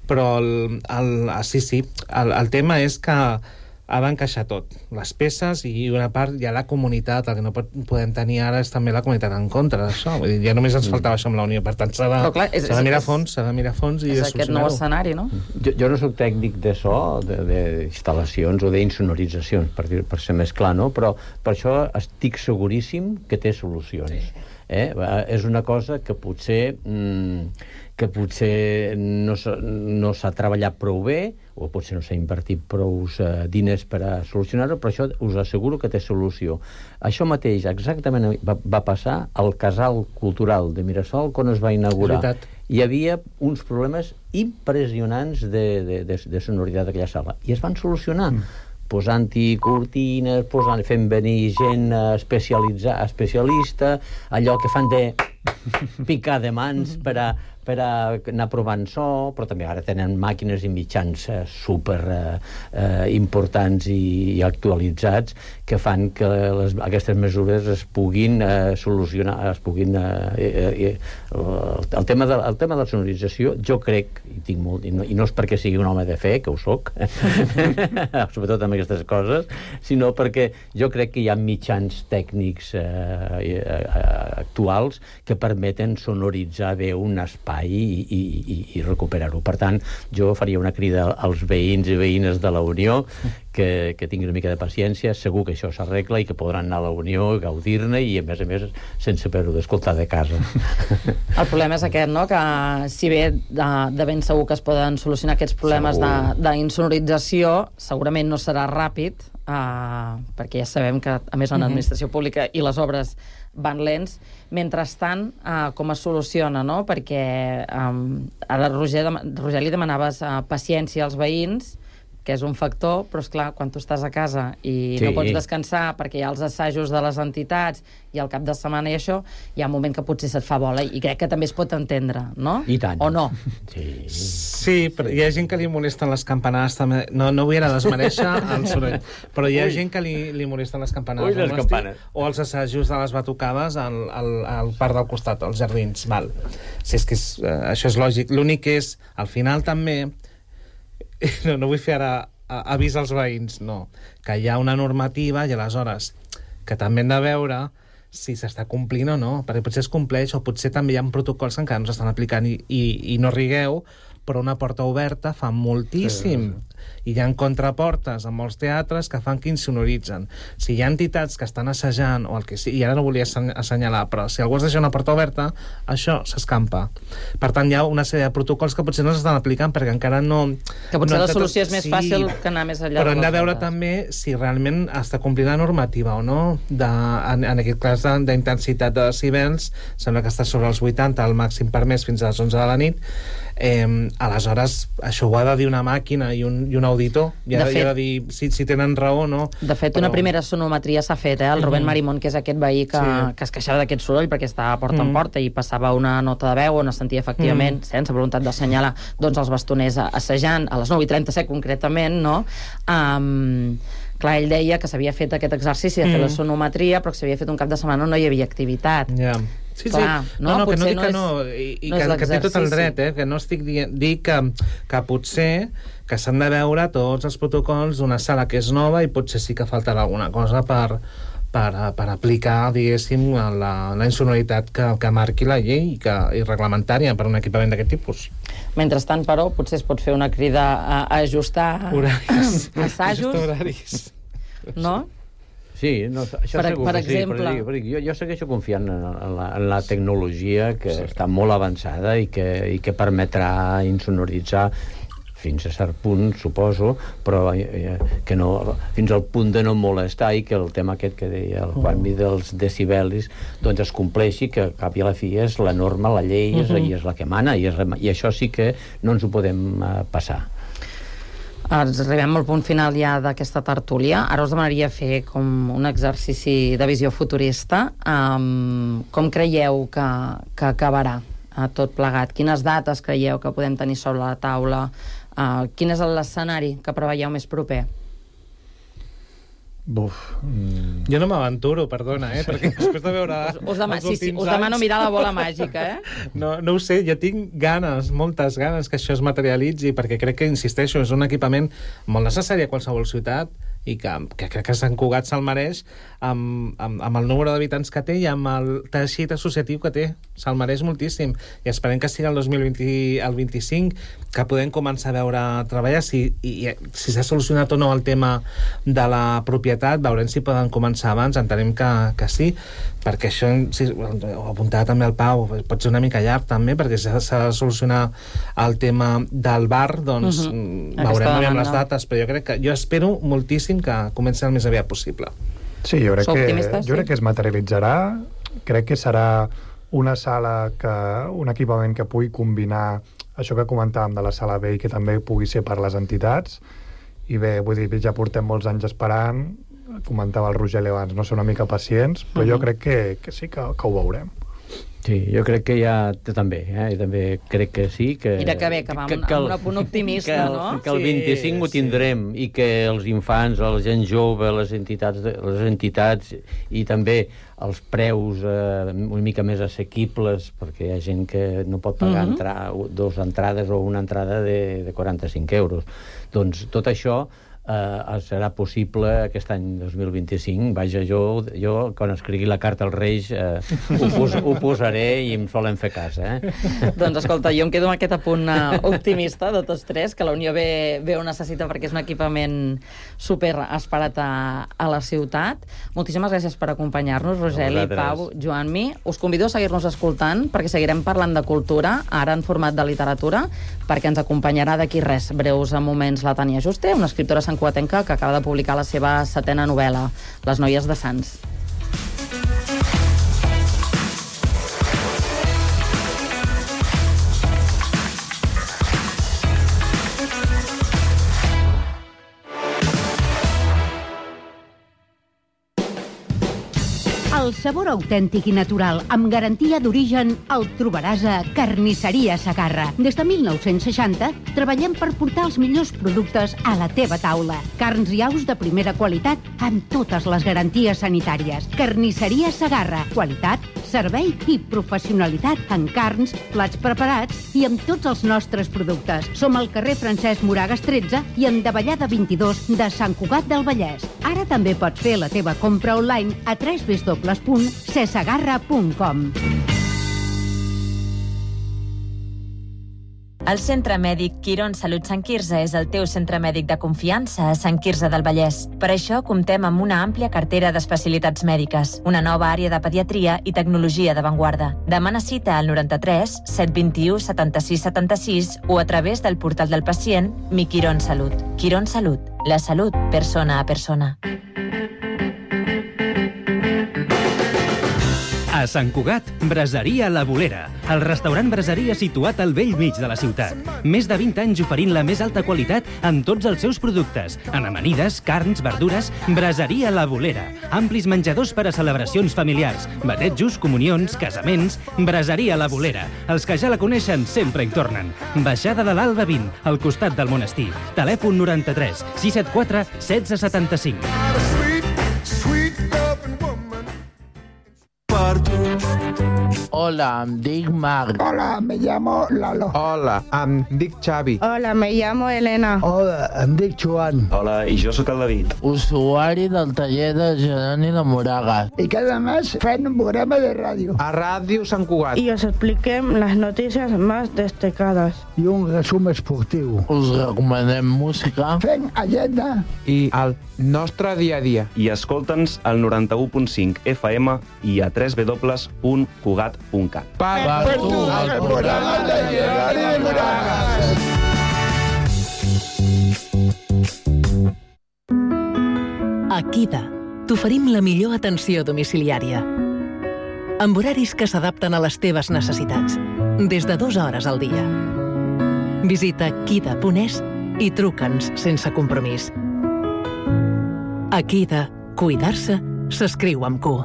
però el, el, sí, sí, el, el tema és que ha d'encaixar tot, les peces, i una part hi ha la comunitat. El que no pot, podem tenir ara és també la comunitat en contra d'això. Vull dir, ja només ens faltava això amb la Unió, per tant s'ha de, clar, és, s'ha de mirar a fons, s'ha de mirar a fons i és de aquest nou escenari, no? Jo, jo no soc tècnic de so, d'instal·lacions o d'insonoritzacions, per, dir, per ser més clar, no? Però per això estic seguríssim que té solucions. Sí. Eh? És una cosa que potser mmm, que potser no s'ha, no s'ha treballat prou bé, o potser no s'ha invertit prou eh, diners per a solucionar-ho, però això us asseguro que té solució. Això mateix exactament va, va passar al Casal Cultural de Mirasol quan es va inaugurar. Hi havia uns problemes impressionants de, de, de, de sonoritat d'aquella sala, i es van solucionar. Mm. Posant-hi cortines, posant, fent venir gent especialitzada, especialista, allò que fan de picar de mans per a, per a anar provant so, però també ara tenen màquines i mitjans eh, super eh, eh, importants i, i actualitzats que fan que les, aquestes mesures es puguin eh, solucionar, es puguin... Eh, eh, eh, el, tema de, el tema de la sonorització, jo crec, i, tinc molt, i, no, i no és perquè sigui un home de fe, que ho soc, sobretot amb aquestes coses, sinó perquè jo crec que hi ha mitjans tècnics eh, eh, actuals que permeten sonoritzar bé un espai i, i, i, i recuperar-ho. Per tant, jo faria una crida als veïns i veïnes de la Unió que, que tinguin una mica de paciència, segur que això s'arregla i que podran anar a la Unió, gaudir-ne i, a més a més, sense haver-ho d'escoltar de casa. El problema és aquest, no?, que si bé de, de ben segur que es poden solucionar aquests problemes d'insonorització, segurament no serà ràpid, uh, perquè ja sabem que, a més, en l'administració pública i les obres van lents. Mentrestant, uh, com es soluciona, no? Perquè um, ara, Roger, Roger, li demanaves uh, paciència als veïns, que és un factor, però, esclar, quan tu estàs a casa i sí. no pots descansar perquè hi ha els assajos de les entitats i al cap de setmana i això, hi ha un moment que potser se't fa bola, i crec que també es pot entendre, no? I tant. O no? Sí, sí, però hi ha gent que li molesten les campanades també. No, no vull ara desmereixer el soroll, però hi ha Ui. gent que li, li molesten les campanades. Ui, les campanes. O els assajos de les batucades al, al, al parc del costat, als jardins. Val. Si és que és, uh, això és lògic. L'únic és, al final també, no, no vull fer ara avís als veïns, no, que hi ha una normativa i aleshores que també hem de veure si s'està complint o no, perquè potser es compleix o potser també hi ha protocols que encara no s'estan aplicant i, i, i no rigueu, però una porta oberta fa moltíssim. Sí. I hi ha contraportes en molts teatres que fan que insonoritzen. Si hi ha entitats que estan assajant o el que sigui, i ara no volia assenyalar, però si algú es deixa una porta oberta, això s'escampa. Per tant, hi ha una sèrie de protocols que potser no s'estan aplicant perquè encara no... Que potser no la solució és més sí, fàcil que anar més enllà. Però hem de veure portes. també si realment està complint la normativa o no. De, en, en aquest cas d'intensitat de decibels, sembla que està sobre els vuitanta, el màxim permès fins a les onze de la nit. Eh, aleshores, això ho ha de dir una màquina i un, i un auditor, i ha de, fet, ha de dir si, si tenen raó o no. De fet, però... una primera sonometria s'ha fet, eh? El Rubén mm-hmm. Marimón, que és aquest veí que, sí. que es queixava d'aquest soroll perquè estava porta mm-hmm. en porta i passava una nota de veu on es sentia efectivament, mm-hmm. sense voluntat d'assenyalar, doncs els bastoners assajant a les nou i trenta-set concretament, no? Um, clar, ell deia que s'havia fet aquest exercici de fer mm. la sonometria, però que s'havia fet un cap de setmana on no hi havia activitat. Ja. Yeah. Sí, clar, sí. No, no, que no dic no que és, no, i, i no que, que té tot el dret, eh? Que no estic dient, dic que, que potser que s'han de veure tots els protocols d'una sala que és nova i potser sí que faltarà alguna cosa per, per, per aplicar, diguéssim, la, la insonoritat que, que marqui la llei i, que, i reglamentària per un equipament d'aquest tipus. Mentrestant, però, potser es pot fer una crida a, a ajustar horaris. assajos. Ajustar horaris. No? Sí, no, això per, segur per que exemple... sí, però, però jo, jo segueixo confiant en, en, la, en la tecnologia que sí. està molt avançada i que, i que permetrà insonoritzar fins a cert punt, suposo, però eh, que no, fins al punt de no molestar i que el tema aquest que deia el Juanmi dels decibelis doncs es compleixi, que al cap i a la fi és la norma, la llei, uh-huh. és, i és la que mana, i, és, i això sí que no ens ho podem uh, passar. Ens arribem al punt final ja d'aquesta tertúlia. Ara us demanaria fer com un exercici de visió futurista. Um, com creieu que, que acabarà uh, tot plegat? Quines dates creieu que podem tenir sobre la taula? Uh, quin és l'escenari que preveieu més proper? Buf. Mm. Jo no m'aventuro, perdona, eh? Perquè després de veure us, us, dema sí, sí, us anys... demano mirar la bola màgica, eh? No, no ho sé, jo tinc ganes, moltes ganes que això es materialitzi, perquè crec que, insisteixo, és un equipament molt necessari a qualsevol ciutat i que, que crec que Sant Cugat se'l mereix amb, amb, amb el número d'habitants que té i amb el teixit associatiu que té. Se'l mereix moltíssim. I esperem que sigui el dos mil vint, el vint-i-cinc que podem començar a veure treballar. Si, i, si s'ha solucionat o no el tema de la propietat, veurem si poden començar abans. Entenem que, que sí, perquè això, si, ho apuntava també el Pau, pot ser una mica llarg també, perquè s'ha de solucionar el tema del bar, doncs uh-huh. veurem amb les dates, però jo crec que jo espero moltíssim que comenci el més aviat possible. Sí, jo crec, que, jo crec que es materialitzarà. Crec que serà una sala, que, un equipament que pugui combinar això que comentàvem de la sala B i que també pugui ser per les entitats. I bé, vull dir, ja portem molts anys esperant, comentava el Rogeli abans, no ser una mica pacients, però uh-huh. jo crec que, que sí que, que ho veurem. Sí, jo crec que ja també, eh? també crec que sí. Que, Mira que bé, que va que, amb, que el, amb un punt optimista, que el, no? Que el vint-i-cinc sí, ho tindrem sí. i que els infants, la gent jove, les entitats, les entitats i també els preus eh, una mica més assequibles, perquè hi ha gent que no pot pagar uh-huh. entrar, dos entrades o una entrada de, de quaranta-cinc euros. Doncs tot això Uh, serà possible aquest any dos mil vint-i-cinc. Vaja, jo, jo quan escrigui la carta als Reis uh, ho, pos, ho posaré i em solen fer cas, eh? Doncs escolta, jo em quedo amb aquest apunt uh, optimista de tots tres, que la Unió B, B ho necessita perquè és un equipament super esperat a, a la ciutat. Moltíssimes gràcies per acompanyar-nos, Rogeli, Pau, Joan-Mi. Us convido a seguir-nos escoltant perquè seguirem parlant de cultura, ara en format de literatura, perquè ens acompanyarà d'aquí res, breus moments, la Tània Juste, una escriptora santcugatenca que acaba de publicar la seva setena novel·la, Les noies de Sants. El sabor autèntic i natural, amb garantia d'origen, el trobaràs a Carnisseria Segarra. Des de mil nou-cents seixanta treballem per portar els millors productes a la teva taula. Carns i aus de primera qualitat amb totes les garanties sanitàries. Carnisseria Segarra. Qualitat, servei i professionalitat en carns, plats preparats i amb tots els nostres productes. Som al carrer Francesc Moragas tretze i en Davallada vint-i-dos de Sant Cugat del Vallès. Ara també pots fer la teva compra online a w w w punt cesegarra punt com. El Centre Mèdic Quirón Salut Sant Quirze és el teu centre mèdic de confiança a Sant Quirze del Vallès. Per això comptem amb una àmplia cartera d'especialitats mèdiques, una nova àrea de pediatria i tecnologia d'avantguarda. Demana cita al noranta-tres set vint-i-u setanta-sis setanta-sis o a través del portal del pacient Mi Quirón Salut. Quirón Salut, la salut persona a persona. A Sant Cugat, Braseria La Bolera, el restaurant braseria situat al vell mig de la ciutat. Més de vint anys oferint la més alta qualitat en tots els seus productes. En amanides, carns, verdures, Braseria La Bolera. Amplis menjadors per a celebracions familiars, batejos, comunions, casaments, Braseria La Bolera. Els que ja la coneixen sempre hi tornen. Baixada de l'Alba vint, al costat del monestir. Telèfon noranta-tres sis set quatre setze setanta-cinc. Hola, em dic Marc. Hola, me llamo Lalo. Hola, em dic Xavi. Hola, me llamo Elena. Hola, em dic Joan. Hola, i jo sóc el David. Usuari del taller de Geroni de Moragas. Y cada mes fem un programa de ràdio. A Ràdio Sant Cugat. Y os expliquem les notícies més destacades. I un resum esportiu. Us recomanem música. Fem agenda. I el nostre dia a dia. I escolta'ns al noranta-u punt cinc F M i a w w w punt cugat punt cat. Per, per tu, el programa de Geroni de Moragas. A Kida t'oferim la millor atenció domiciliària. Amb horaris que s'adapten a les teves necessitats, des de dues hores al dia. Visita kida punt es i truca'ns sense compromís. A Kida, cuidar-se s'escriu amb Q.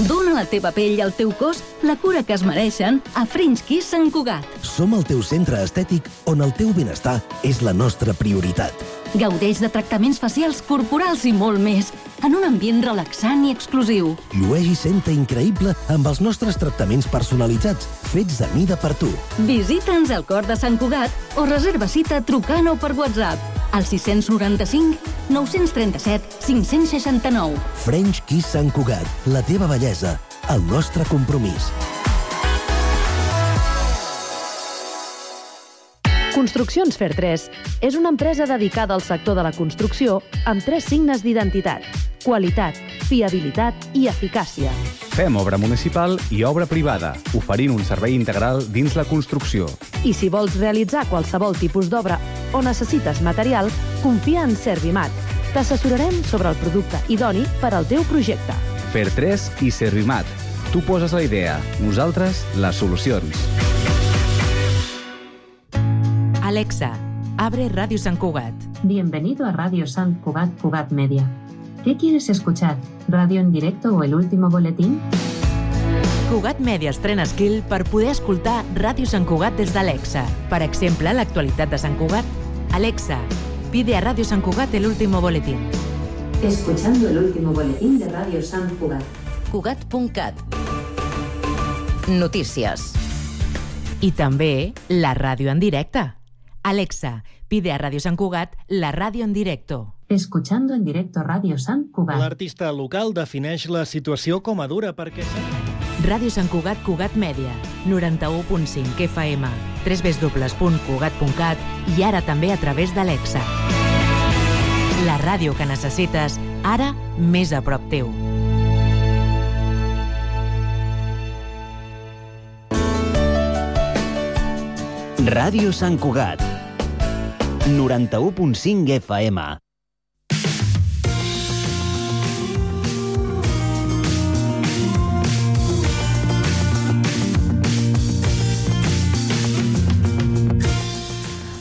Dóna a la teva pell i al teu cos la cura que es mereixen a French Kiss Sant Cugat. Som el teu centre estètic on el teu benestar és la nostra prioritat. Gaudeix de tractaments facials, corporals i molt més, en un ambient relaxant i exclusiu. Llueix i senta increïble amb els nostres tractaments personalitzats, fets a mida per tu. Visita'ns al cor de Sant Cugat o reserva cita trucant o per WhatsApp. al sis noranta-cinc nou trenta-set cinc seixanta-nou. French Kiss Sant Cugat, la teva bellesa, el nostre compromís. Construccions Fer tres és una empresa dedicada al sector de la construcció amb tres signes d'identitat: qualitat, fiabilitat i eficàcia. Fem obra municipal i obra privada, oferint un servei integral dins la construcció. I si vols realitzar qualsevol tipus d'obra o necessites material, confia en Servimat. T'assessorarem sobre el producte idoni per al teu projecte. Fer tres i Servimat. Tu poses la idea, nosaltres les solucions. Alexa, abre Radio Sant Cugat. Bienvenido a Radio Sant Cugat Cugat Media. ¿Qué quieres escuchar? ¿Radio en directo o el último boletín? Cugat Media estrena skill per poder escoltar Ràdio Sant Cugat des d'Alexa. Per exemple, l'actualitat de Sant Cugat. Alexa, pide a Radio Sant Cugat el último boletín. Escuchando el último boletín de Radio Sant Cugat. Cugat punt cat. Notícies. I també la ràdio en directe. Alexa, pide a Radio Sant Cugat la ràdio en directo. Escuchando en directo Radio Sant Cugat. L'artista local defineix la situació com a dura perquè... Ràdio Sant Cugat Cugat Mèdia, noranta-u punt cinc F M, w w w punt cugat punt cat i ara també a través d'Alexa. La ràdio que necessites, ara més a prop teu. Ràdio Sant Cugat, noranta-u punt cinc F M.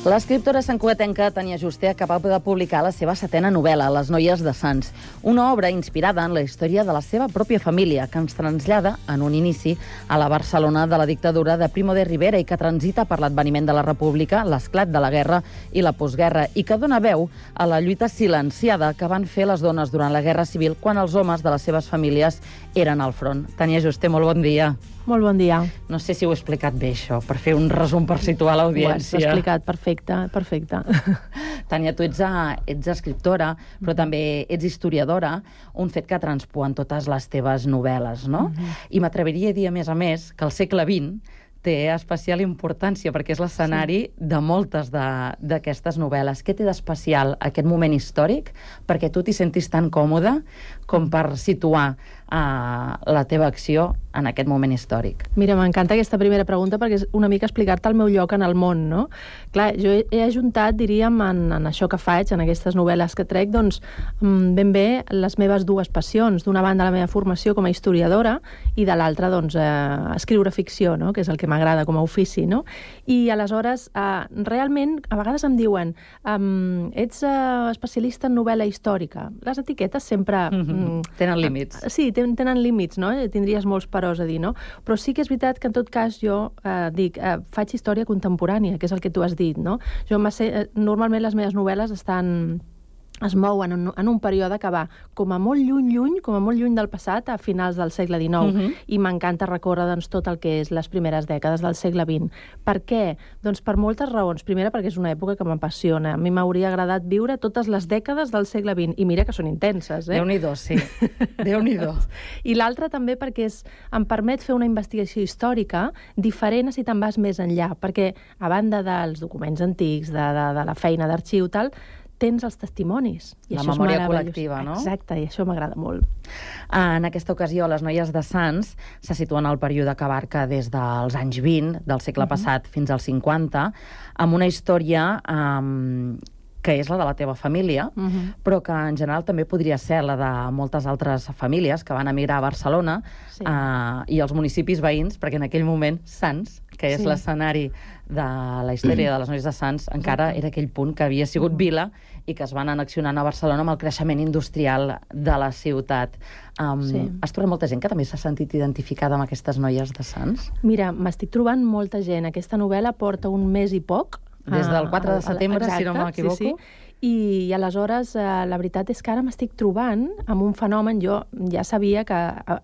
L'escriptora santcugatenca Tania Juste acaba de publicar la seva setena novel·la, Les noies de Sants, una obra inspirada en la història de la seva pròpia família, que ens trasllada, en un inici, a la Barcelona de la dictadura de Primo de Rivera i que transita per l'adveniment de la República, l'esclat de la guerra i la postguerra, i que dona veu a la lluita silenciada que van fer les dones durant la Guerra Civil quan els homes de les seves famílies eren al front. Tania Juste, molt bon dia. Molt bon dia. No sé si ho he explicat bé, això, per fer un resum, per situar l'audiència. Ho has explicat perfecte, perfecte. Tania, tu ets, a, ets escriptora, però també ets historiadora, un fet que transpua en totes les teves novel·les, no? Mm-hmm. I m'atreviria a dir, a més a més, que el segle vint té especial importància perquè és l'escenari sí. de moltes d'aquestes novel·les. Què té d'especial aquest moment històric perquè tu t'hi sentis tan còmode com per situar uh, la teva acció en aquest moment històric? Mira, m'encanta aquesta primera pregunta perquè és una mica explicar-te el meu lloc en el món, no? Clar, jo he, he ajuntat, diríem, en, en això que faig, en aquestes novel·les que trec, doncs, ben bé les meves dues passions. D'una banda, la meva formació com a historiadora i de l'altra, doncs, eh, escriure ficció, no? Que és el que m'agrada com a ofici, no? I aleshores, eh, realment, a vegades em diuen um, ets uh, especialista en novel·la històrica. Les etiquetes sempre... Mm-hmm. Tenen límits. Uh, sí, ten, tenen límits, no? Tindries molts peròs a dir, no? Però sí que és veritat que en tot cas jo eh, dic, eh, faig història contemporània, que és el que tu has dit, no? Jo eh, normalment les meves novel·les estan... es mouen en un, en un període que va com a molt lluny, lluny, com a molt lluny del passat a finals del segle dinou. Uh-huh. I m'encanta recórrer doncs, tot el que és les primeres dècades del segle vint. Per què? Doncs per moltes raons. Primera, perquè és una època que m'apassiona. A mi m'hauria agradat viure totes les dècades del segle vint. I mira que són intenses, eh? Déu-n'hi-do, sí. Déu-n'hi-do. I l'altra també perquè és, em permet fer una investigació històrica diferent si te'n vas més enllà. Perquè, a banda dels documents antics, de, de, de la feina d'arxiu, tal, tens els testimonis. I la això memòria col·lectiva, no? Exacte, i això m'agrada molt. En aquesta ocasió, Les noies de Sants se situen al període que abarca des dels anys vint del segle uh-huh. passat fins als cinquanta, amb una història um, que és la de la teva família, uh-huh. però que en general també podria ser la de moltes altres famílies que van emigrar a Barcelona sí. uh, i els municipis veïns, perquè en aquell moment Sants, que és sí. l'escenari de la història de Les noies de Sants, encara Exacte. Era aquell punt que havia sigut vila i que es van annexionant a Barcelona amb el creixement industrial de la ciutat. Um, sí. Has trobat molta gent que també s'ha sentit identificada amb aquestes noies de Sants? Mira, m'estic trobant molta gent. Aquesta novel·la porta un mes i poc. Des del quatre de setembre, Exacte, si no m'equivoco. Sí, sí. I, i aleshores eh, la veritat és que ara m'estic trobant amb un fenomen. Jo ja sabia que,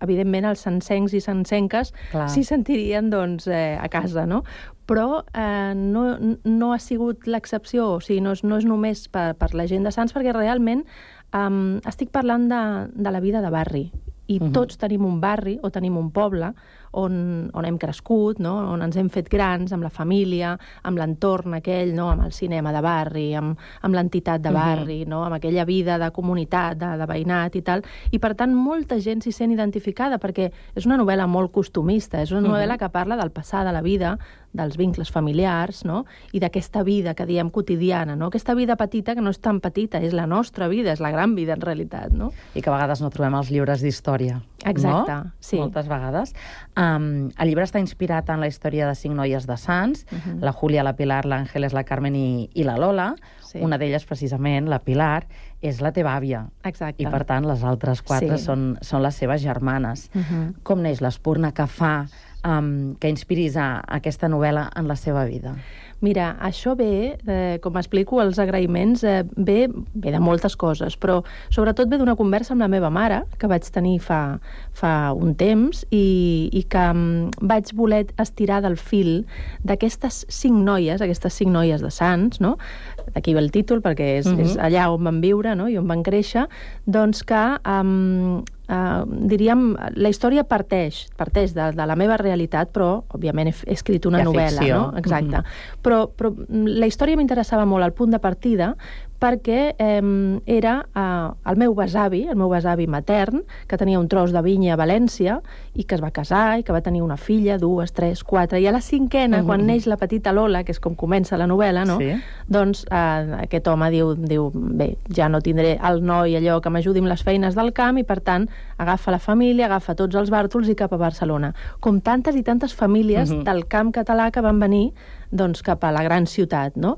evidentment, els sancencs i sancenques s'hi sentirien doncs, eh, a casa, no? però eh, no, no ha sigut l'excepció, o sigui, no és, no és només per, per la gent de Sants, perquè realment eh, estic parlant de, de la vida de barri, i uh-huh. tots tenim un barri o tenim un poble on, on hem crescut, no? On ens hem fet grans, amb la família, amb l'entorn aquell, no? Amb el cinema de barri, amb, amb l'entitat de barri, uh-huh. no? Amb aquella vida de comunitat, de, de veïnat i tal. I, per tant, molta gent s'hi sent identificada, perquè és una novel·la molt costumista, és una novel·la uh-huh. que parla del passar de la vida, dels vincles familiars, no? I d'aquesta vida que diem quotidiana, no? Aquesta vida petita que no és tan petita, és la nostra vida, és la gran vida, en realitat, no? I que a vegades no trobem els llibres d'història. Exacte, no? sí. Moltes vegades. Um, el llibre està inspirat en la història de cinc noies de Sants, uh-huh. la Júlia, la Pilar, l'Àngeles, la Carmen i, i la Lola. Sí. Una d'elles, precisament, la Pilar, és la teva àvia. Exacte. I, per tant, les altres quatre sí. són, són les seves germanes. Uh-huh. Com neix l'espurna que fa um, que inspiris a, a aquesta novel·la en la seva vida? Mira, això ve, eh, com explico, els agraïments, eh, ve, ve de moltes coses, però sobretot ve d'una conversa amb la meva mare, que vaig tenir fa, fa un temps, i, i que um, vaig voler estirar del fil d'aquestes cinc noies, aquestes cinc noies de Sants, no? D'aquí ve el títol, perquè és, uh-huh. és allà on van viure, no? I on van créixer, doncs que... Um, Uh, diríem, la història parteix, parteix de, de la meva realitat, però, òbviament, he, he escrit una novel·la, no? Exacte. Mm-hmm. Però, però la història m'interessava molt al punt de partida perquè eh, era eh, el meu besavi, el meu besavi matern, que tenia un tros de vinya a València i que es va casar i que va tenir una filla, dues, tres, quatre, i a la cinquena, mm-hmm. quan neix la petita Lola, que és com comença la novel·la, no? Sí. Doncs eh, aquest home diu, diu, bé, ja no tindré el noi allò que m'ajudi amb les feines del camp i, per tant, agafa la família, agafa tots els bàrtols i cap a Barcelona. Com tantes i tantes famílies uh-huh. del camp català que van venir doncs, cap a la gran ciutat, no?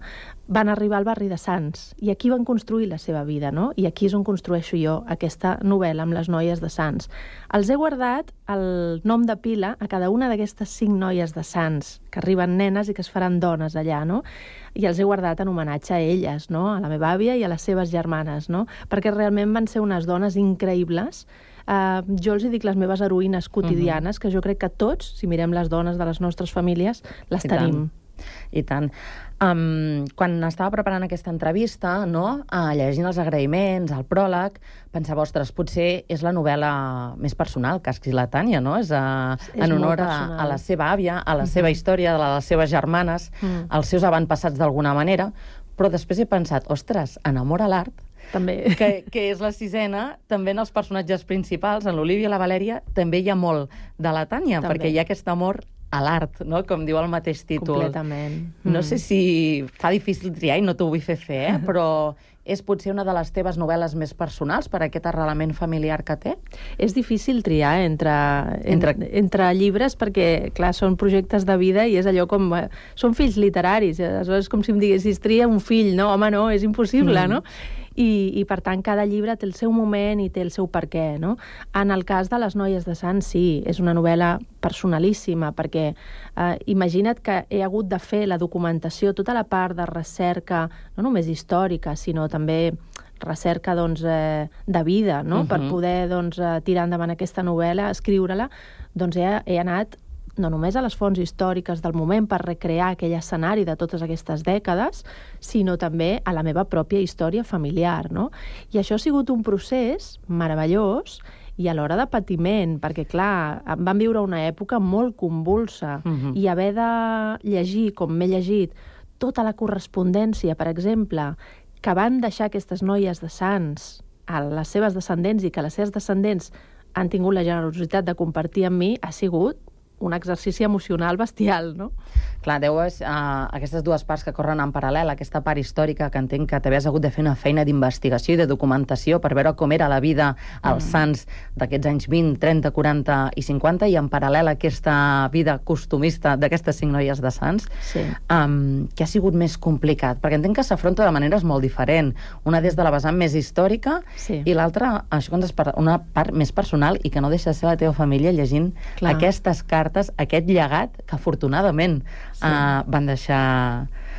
Van arribar al barri de Sants i aquí van construir la seva vida, no? I aquí és on construeixo jo aquesta novel·la amb les noies de Sants. Els he guardat el nom de pila a cada una d'aquestes cinc noies de Sants, que arriben nenes i que es faran dones allà, no? I els he guardat en homenatge a elles, no? A la meva àvia i a les seves germanes, no? Perquè realment van ser unes dones increïbles. Uh, jo els hi dic les meves heroïnes quotidianes, uh-huh. que jo crec que tots, si mirem les dones de les nostres famílies, les I tenim. Tant. I tant. Um, quan estava preparant aquesta entrevista, no? uh, llegint els agraïments, el pròleg, pensava, ostres, potser és la novel·la més personal que ha escrit la Tània, no? És, uh, és en honor a, a la seva àvia, a la uh-huh. seva història, a la de les seves germanes, uh-huh. als seus avantpassats d'alguna manera, però després he pensat, ostres, en amor a l'art, també. Que, que és la sisena, també en els personatges principals, en l'Olivia i la Valèria, també hi ha molt de la Tània, també. Perquè hi ha aquest amor a l'art, no? Com diu el mateix títol. Completament. No mm. sé si fa difícil triar, i no t'ho vull fer fer, eh? Però és potser una de les teves novel·les més personals per aquest arrelament familiar que té? És difícil triar entre, entre... entre llibres perquè, clar, són projectes de vida i és allò com... Són fills literaris, aleshores és com si em diguessis tria un fill, no? Home, no, és impossible, mm. no? I, i, per tant, cada llibre té el seu moment i té el seu perquè, no? En el cas de les noies de Sants, sí, és una novel·la personalíssima, perquè eh, imagina't que he hagut de fer la documentació, tota la part de recerca, no només històrica, sinó també recerca doncs, eh, de vida, no? Uh-huh. Per poder doncs, tirar endavant aquesta novel·la, escriure-la, doncs he, he anat no només a les fonts històriques del moment per recrear aquell escenari de totes aquestes dècades, sinó també a la meva pròpia història familiar, no? I això ha sigut un procés meravellós i alhora de patiment, perquè, clar, vam viure una època molt convulsa uh-huh. i haver de llegir, com m'he llegit, tota la correspondència, per exemple, que van deixar aquestes noies de Sants a les seves descendents i que les seves descendents han tingut la generositat de compartir amb mi, ha sigut un exercici emocional bestial, no? Clar, deus uh, aquestes dues parts que corren en paral·lel, aquesta part històrica que entenc que t'havies hagut de fer una feina d'investigació i de documentació per veure com era la vida als mm. Sants d'aquests anys vint, trenta, quaranta i cinquanta, i en paral·lel aquesta vida costumista d'aquestes cinc noies de Sants, sí. um, que ha sigut més complicat, perquè entenc que s'afronta de maneres molt diferents. Una des de la vessant més històrica sí. i l'altra, això que ens parla, una part més personal i que no deixa de ser la teva família llegint Clar. Aquestes cartes, aquest llegat que afortunadament sí. uh, van deixar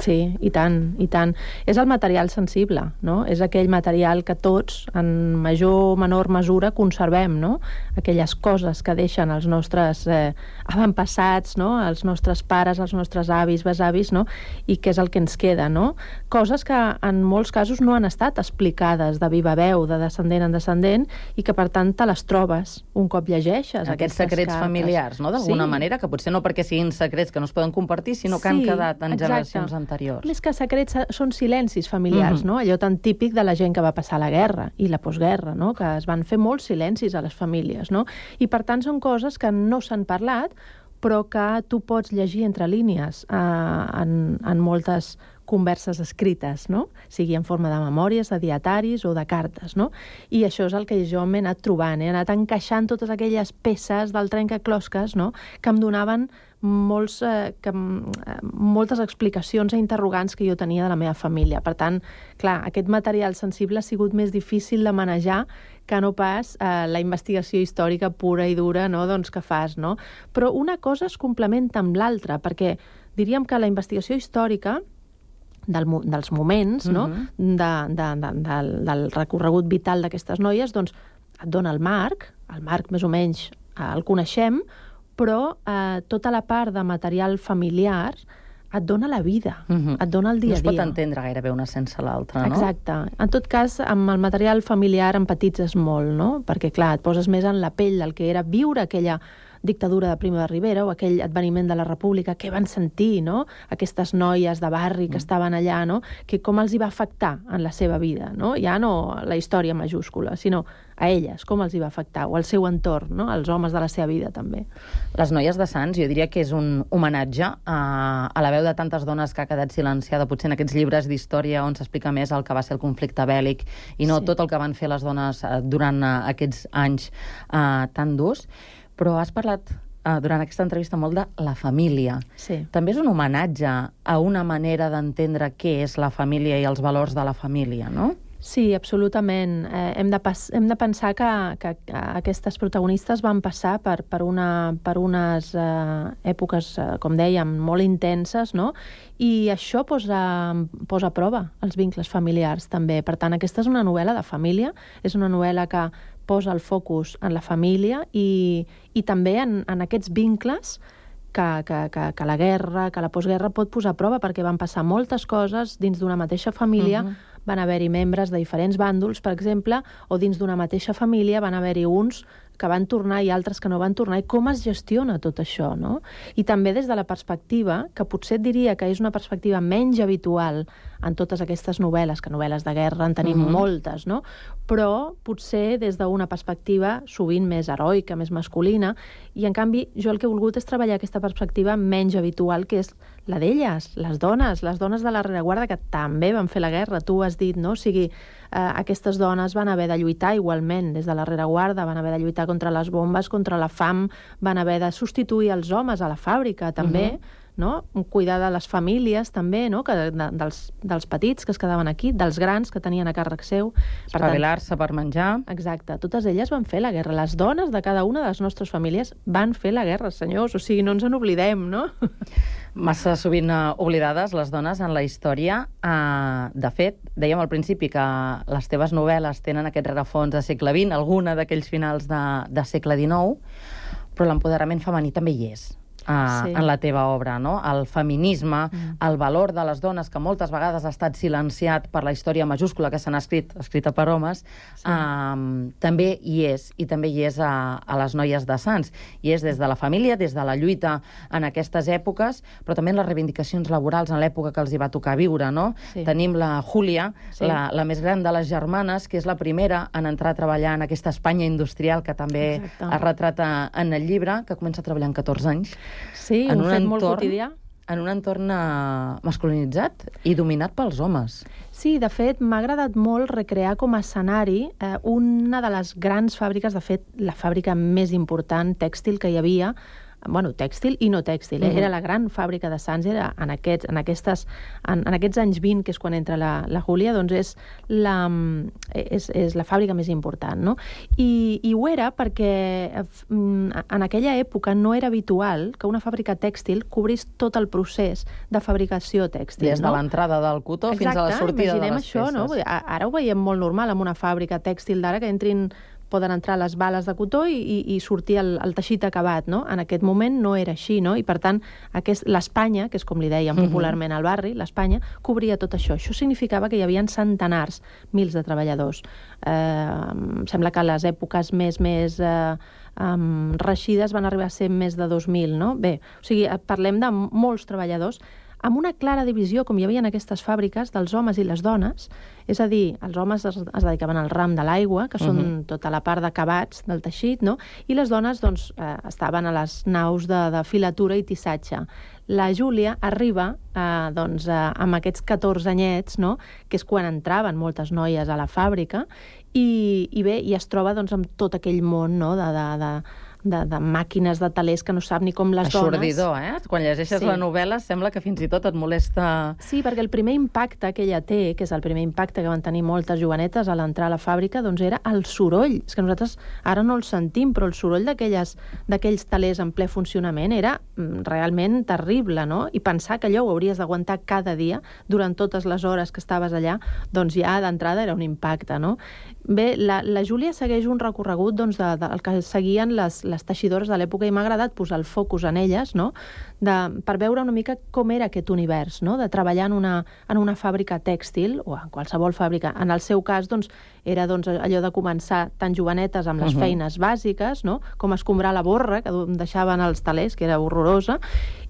Sí, i tant, i tant. És el material sensible, no? És aquell material que tots, en major o menor mesura, conservem, no? Aquelles coses que deixen els nostres eh, avantpassats, no? Els nostres pares, els nostres avis, besavis, no? I que és el que ens queda, no? Coses que en molts casos no han estat explicades de viva veu, de descendent en descendent, i que per tant te les trobes un cop llegeixes. Aquests secrets cartes familiars, no? D'alguna sí. manera, que potser no perquè siguin secrets que no es poden compartir, sinó que sí, han quedat en exacte. generacions anteriors. Més que secrets són silencis familiars, Mhm. no? Allò tan típic de la gent que va passar la guerra i la postguerra, no? Que es van fer molts silencis a les famílies, no? I per tant són coses que no s'han parlat, però que tu pots llegir entre línies eh, en, en moltes converses escrites, no? Sigui en forma de memòries, de dietaris o de cartes, no? I això és el que jo m'he anat trobant, he anat encaixant totes aquelles peces del trencaclosques, no? Que em donaven molts, eh, que, eh, moltes explicacions e interrogants que jo tenia de la meva família. Per tant, clar, aquest material sensible ha sigut més difícil de manejar que no pas eh, la investigació històrica pura i dura, no? Doncs que fas, no? Però una cosa es complementa amb l'altra, perquè diríem que la investigació històrica del, dels moments, no? Mhm. de, de, de, del, del recorregut vital d'aquestes noies, doncs et dona el marc, el marc més o menys eh, el coneixem, però eh, tota la part de material familiar et dona la vida, Mhm. et dona el dia No a es dia. pot entendre gairebé una sense l'altra, no? Exacte. En tot cas, amb el material familiar empatitzes molt, no? Perquè, clar, et poses més en la pell del que era viure aquella dictadura de Primo de Rivera o aquell adveniment de la República, què van sentir, no? Aquestes noies de barri que mm. estaven allà, no? Que com els hi va afectar en la seva vida, no? Ja no la història majúscula, sinó a elles, com els hi va afectar, o al seu entorn, no? Els homes de la seva vida, també. Les noies de Sants, jo diria que és un homenatge a, a la veu de tantes dones que ha quedat silenciada, potser en aquests llibres d'història on s'explica més el que va ser el conflicte bèl·lic i no Sí. tot el que van fer les dones eh, durant eh, aquests anys eh, tan durs. Però has parlat eh, durant aquesta entrevista molt de la família. Sí. També és un homenatge a una manera d'entendre què és la família i els valors de la família, no? Sí, absolutament. Eh, hem, de pas, hem de pensar que, que aquestes protagonistes van passar per, per, una, per unes eh, èpoques, eh, com dèiem, molt intenses, no? I això posa, posa a prova els vincles familiars, també. Per tant, aquesta és una novel·la de família, és una novel·la que posa el focus en la família i, i també en, en aquests vincles que, que, que, que la guerra, que la postguerra pot posar a prova, perquè van passar moltes coses dins d'una mateixa família. Uh-huh. Van haver-hi membres de diferents bàndols, per exemple, o dins d'una mateixa família van haver-hi uns que van tornar i altres que no van tornar, i com es gestiona tot això, no? I també des de la perspectiva, que potser et diria que és una perspectiva menys habitual en totes aquestes novel·les, que novel·les de guerra en tenim uh-huh. moltes, no? Però potser des d'una perspectiva sovint més heroica, més masculina, i en canvi jo el que he volgut és treballar aquesta perspectiva menys habitual, que és la d'elles, les dones, les dones de la rereguarda que també van fer la guerra, tu has dit, no? O sigui, eh, aquestes dones van haver de lluitar igualment des de la rereguarda, van haver de lluitar contra les bombes, contra la fam, van haver de substituir els homes a la fàbrica, també, uh-huh. no? Cuidar de les famílies, també, no? Que, de, dels, dels petits que es quedaven aquí, dels grans que tenien a càrrec seu. Espavilar-se per menjar. Exacte. Totes elles van fer la guerra. Les dones de cada una de les nostres famílies van fer la guerra, senyors. O sigui, no ens en oblidem, no? Massa sovint uh, oblidades les dones en la història. Uh, de fet, dèiem al principi que les teves novel·les tenen aquest rerefons de segle vint, alguna d'aquells finals de, de segle dinou, però l'empoderament femení també hi és. Uh, sí. En la teva obra, no? El feminisme, mm. el valor de les dones, que moltes vegades ha estat silenciat per la història majúscula que s'han escrit, escrita per homes, sí. uh, també hi és, i també hi és a, a les noies de Sants. I és des de la família, des de la lluita en aquestes èpoques, però també en les reivindicacions laborals en l'època que els hi va tocar viure, no? Sí. Tenim la Júlia, sí. la, la més gran de les germanes, que és la primera en entrar a treballar en aquesta Espanya industrial que també Exacte. Es retrata en el llibre, que comença a treballar amb catorze anys. Sí, un, un fet entorn, molt quotidià. En un entorn uh, masculinitzat i dominat pels homes. Sí, de fet, m'ha agradat molt recrear com a escenari eh, una de les grans fàbriques, de fet, la fàbrica més important tèxtil que hi havia bueno, tèxtil i no tèxtil, eh? Era la gran fàbrica de Sants, era en aquests, en aquestes, en, en aquests anys vint, que és quan entra la, la Júlia, doncs és la, és, és la fàbrica més important, no? I, i ho era perquè en aquella època no era habitual que una fàbrica tèxtil cobrís tot el procés de fabricació tèxtil. Des de no? l'entrada del cotó Exacte, fins a la sortida de les això, peces. No? Ara ho veiem molt normal en una fàbrica tèxtil d'ara, que entrin poden entrar les bales de cotó i, i, i sortir el, el teixit acabat, no? En aquest moment no era així, no? I per tant, l'Espanya, que és com li dèiem popularment al barri, l'Espanya, cobria tot això. Això significava que hi havia centenars, mils de treballadors. Eh, em sembla que a les èpoques més, més eh, um, reixides van arribar a ser més de dos mil, no? Bé, o sigui, parlem de molts treballadors amb una clara divisió, com hi havia en aquestes fàbriques, dels homes i les dones. És a dir, els homes es, es dedicaven al ram de l'aigua, que són uh-huh. tota la part d'acabats del teixit, no? I les dones doncs, eh, estaven a les naus de, de filatura i tissatge. La Júlia arriba eh, doncs, eh, amb aquests catorze anyets, no? Que és quan entraven moltes noies a la fàbrica, i, i bé, i es troba doncs, amb tot aquell món, no? de... de, de De, de màquines de talers que no sap ni com les dones. Aixordidor, eh? Quan llegeixes sí. la novel·la sembla que fins i tot et molesta... Sí, perquè el primer impacte que ella té, que és el primer impacte que van tenir moltes jovenetes a l'entrar a la fàbrica, doncs era el soroll. És que nosaltres ara no el sentim, però el soroll d'aquells talers en ple funcionament era realment terrible, no? I pensar que allò ho hauries d'aguantar cada dia durant totes les hores que estaves allà, doncs ja d'entrada era un impacte, no? Bé, la, la Júlia segueix un recorregut doncs, de, de, el que seguien les, les teixidores de l'època, i m'ha agradat posar el focus en elles, no? de, per veure una mica com era aquest univers, no? De treballar en una, en una fàbrica tèxtil, o en qualsevol fàbrica. En el seu cas, doncs, era doncs, allò de començar tan jovenetes amb les uh-huh. feines bàsiques, no? Com escombrar la borra, que deixaven els talers, que era horrorosa,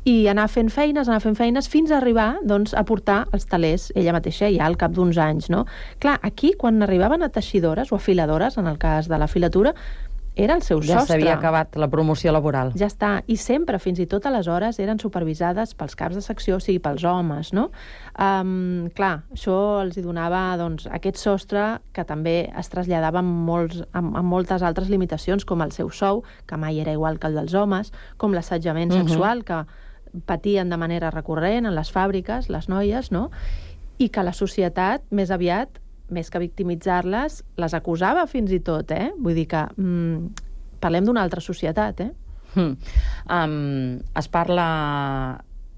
i anar fent feines, anar fent feines, fins a arribar doncs, a portar els talers ella mateixa ja al cap d'uns anys, no? Clar, aquí, quan arribaven a teixidores o a filadores, en el cas de la filatura, era el seu ja sostre. Ja s'havia acabat la promoció laboral. Ja està. I sempre, fins i tot aleshores, eren supervisades pels caps de secció, o sigui, pels homes, no? Um, clar, això els hi donava doncs, aquest sostre que també es traslladava amb, molts, amb, amb moltes altres limitacions, com el seu sou, que mai era igual que el dels homes, com l'assetjament uh-huh. sexual, que patien de manera recurrent en les fàbriques, les noies, no? I que la societat, més aviat, més que victimitzar-les, les acusava fins i tot, eh? Vull dir que mm, parlem d'una altra societat, eh? Mm. Um, es parla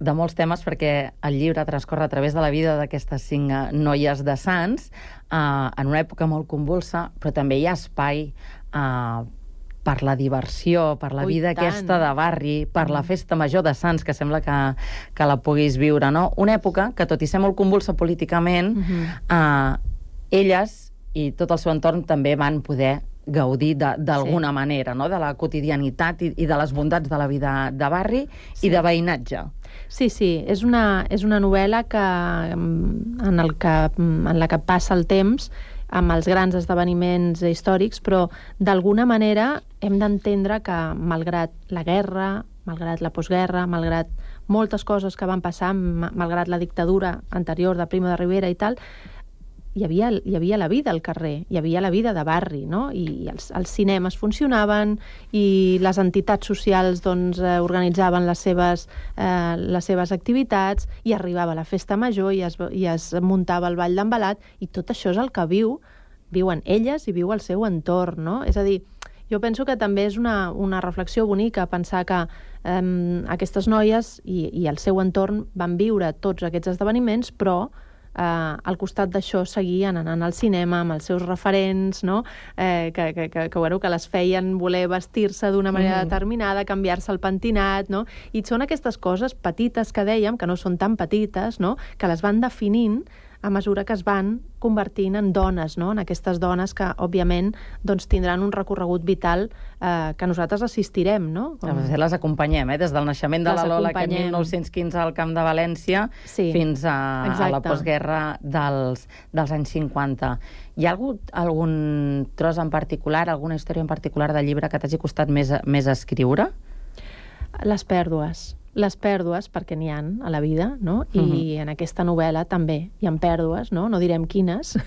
de molts temes perquè el llibre transcorre a través de la vida d'aquestes cinc noies de Sants, uh, en una època molt convulsa, però també hi ha espai uh, per la diversió, per la Ui, vida tant. aquesta de barri, per la festa major de Sants, que sembla que, que la puguis viure, no? Una època que, tot i ser molt convulsa políticament, uh-huh. uh, elles i tot el seu entorn també van poder gaudir d'alguna sí. manera, no? De la quotidianitat i, i de les bondats de la vida de barri sí. i de veïnatge. Sí, sí, és una, és una novel·la que, en, el que, en la que passa el temps amb els grans esdeveniments històrics, però d'alguna manera hem d'entendre que, malgrat la guerra, malgrat la postguerra, malgrat moltes coses que van passar, malgrat la dictadura anterior de Primo de Rivera i tal, hi havia, hi havia la vida al carrer, hi havia la vida de barri, no? I els, els cinemes funcionaven i les entitats socials doncs, eh, organitzaven les seves, eh, les seves activitats, i arribava la festa major i es, i es muntava el ball d'embalat, i tot això és el que viu, viuen elles i viu el seu entorn, no? És a dir, jo penso que també és una, una reflexió bonica pensar que eh, aquestes noies i, i el seu entorn van viure tots aquests esdeveniments, però Uh, al costat d'això seguien anant al cinema amb els seus referents, no? eh, que, que, que, que, bueno, que les feien voler vestir-se d'una manera mm. determinada, canviar-se el pentinat, no? I són aquestes coses petites que dèiem, que no són tan petites, no? Que les van definint a mesura que es van convertint en dones, no? En aquestes dones que, òbviament, doncs, tindran un recorregut vital eh, que nosaltres assistirem, no? Com... A les acompanyem, eh? Des del naixement de les la Lola, que en acompanyem. mil nou-cents quinze al Camp de València, sí, fins a, a la postguerra dels, dels anys cinquanta. Hi ha algun, algun tros en particular, alguna història en particular del llibre que t'hagi costat més, més escriure? Les pèrdues. les pèrdues, perquè n'hi ha a la vida, no? I Mhm. en aquesta novel·la també hi ha pèrdues, no? No direm quines.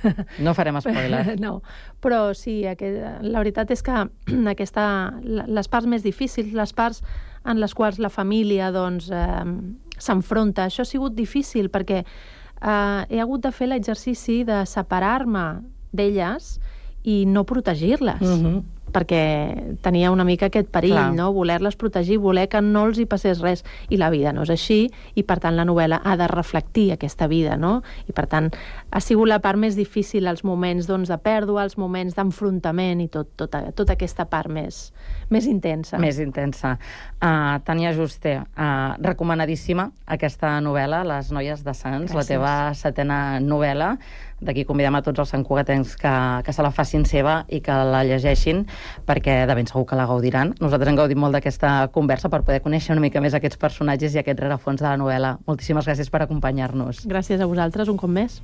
No farem spoiler. No, però sí, aquest, la veritat és que aquesta, les parts més difícils, les parts en les quals la família doncs, eh, s'enfronta, això ha sigut difícil perquè eh, he hagut de fer l'exercici de separar-me d'elles i no protegir-les. Mhm. Perquè tenia una mica aquest perill, Clar. no? Voler-les protegir, voler que no els hi passés res. I la vida no és així, i per tant la novel·la ha de reflectir aquesta vida, no? I per tant ha sigut la part més difícil, els moments doncs, de pèrdua, els moments d'enfrontament i tot, tota, tota aquesta part més, més intensa. Més intensa. Uh, Tània Juste, uh, recomanadíssima aquesta novel·la, Les noies de Sants, Gràcies. la teva setena novel·la. D'aquí convidem a tots els santcugatencs que, que se la facin seva i que la llegeixin, perquè de ben segur que la gaudiran. Nosaltres hem gaudit molt d'aquesta conversa per poder conèixer una mica més aquests personatges i aquest rerefons de la novel·la. Moltíssimes gràcies per acompanyar-nos. Gràcies a vosaltres un cop més.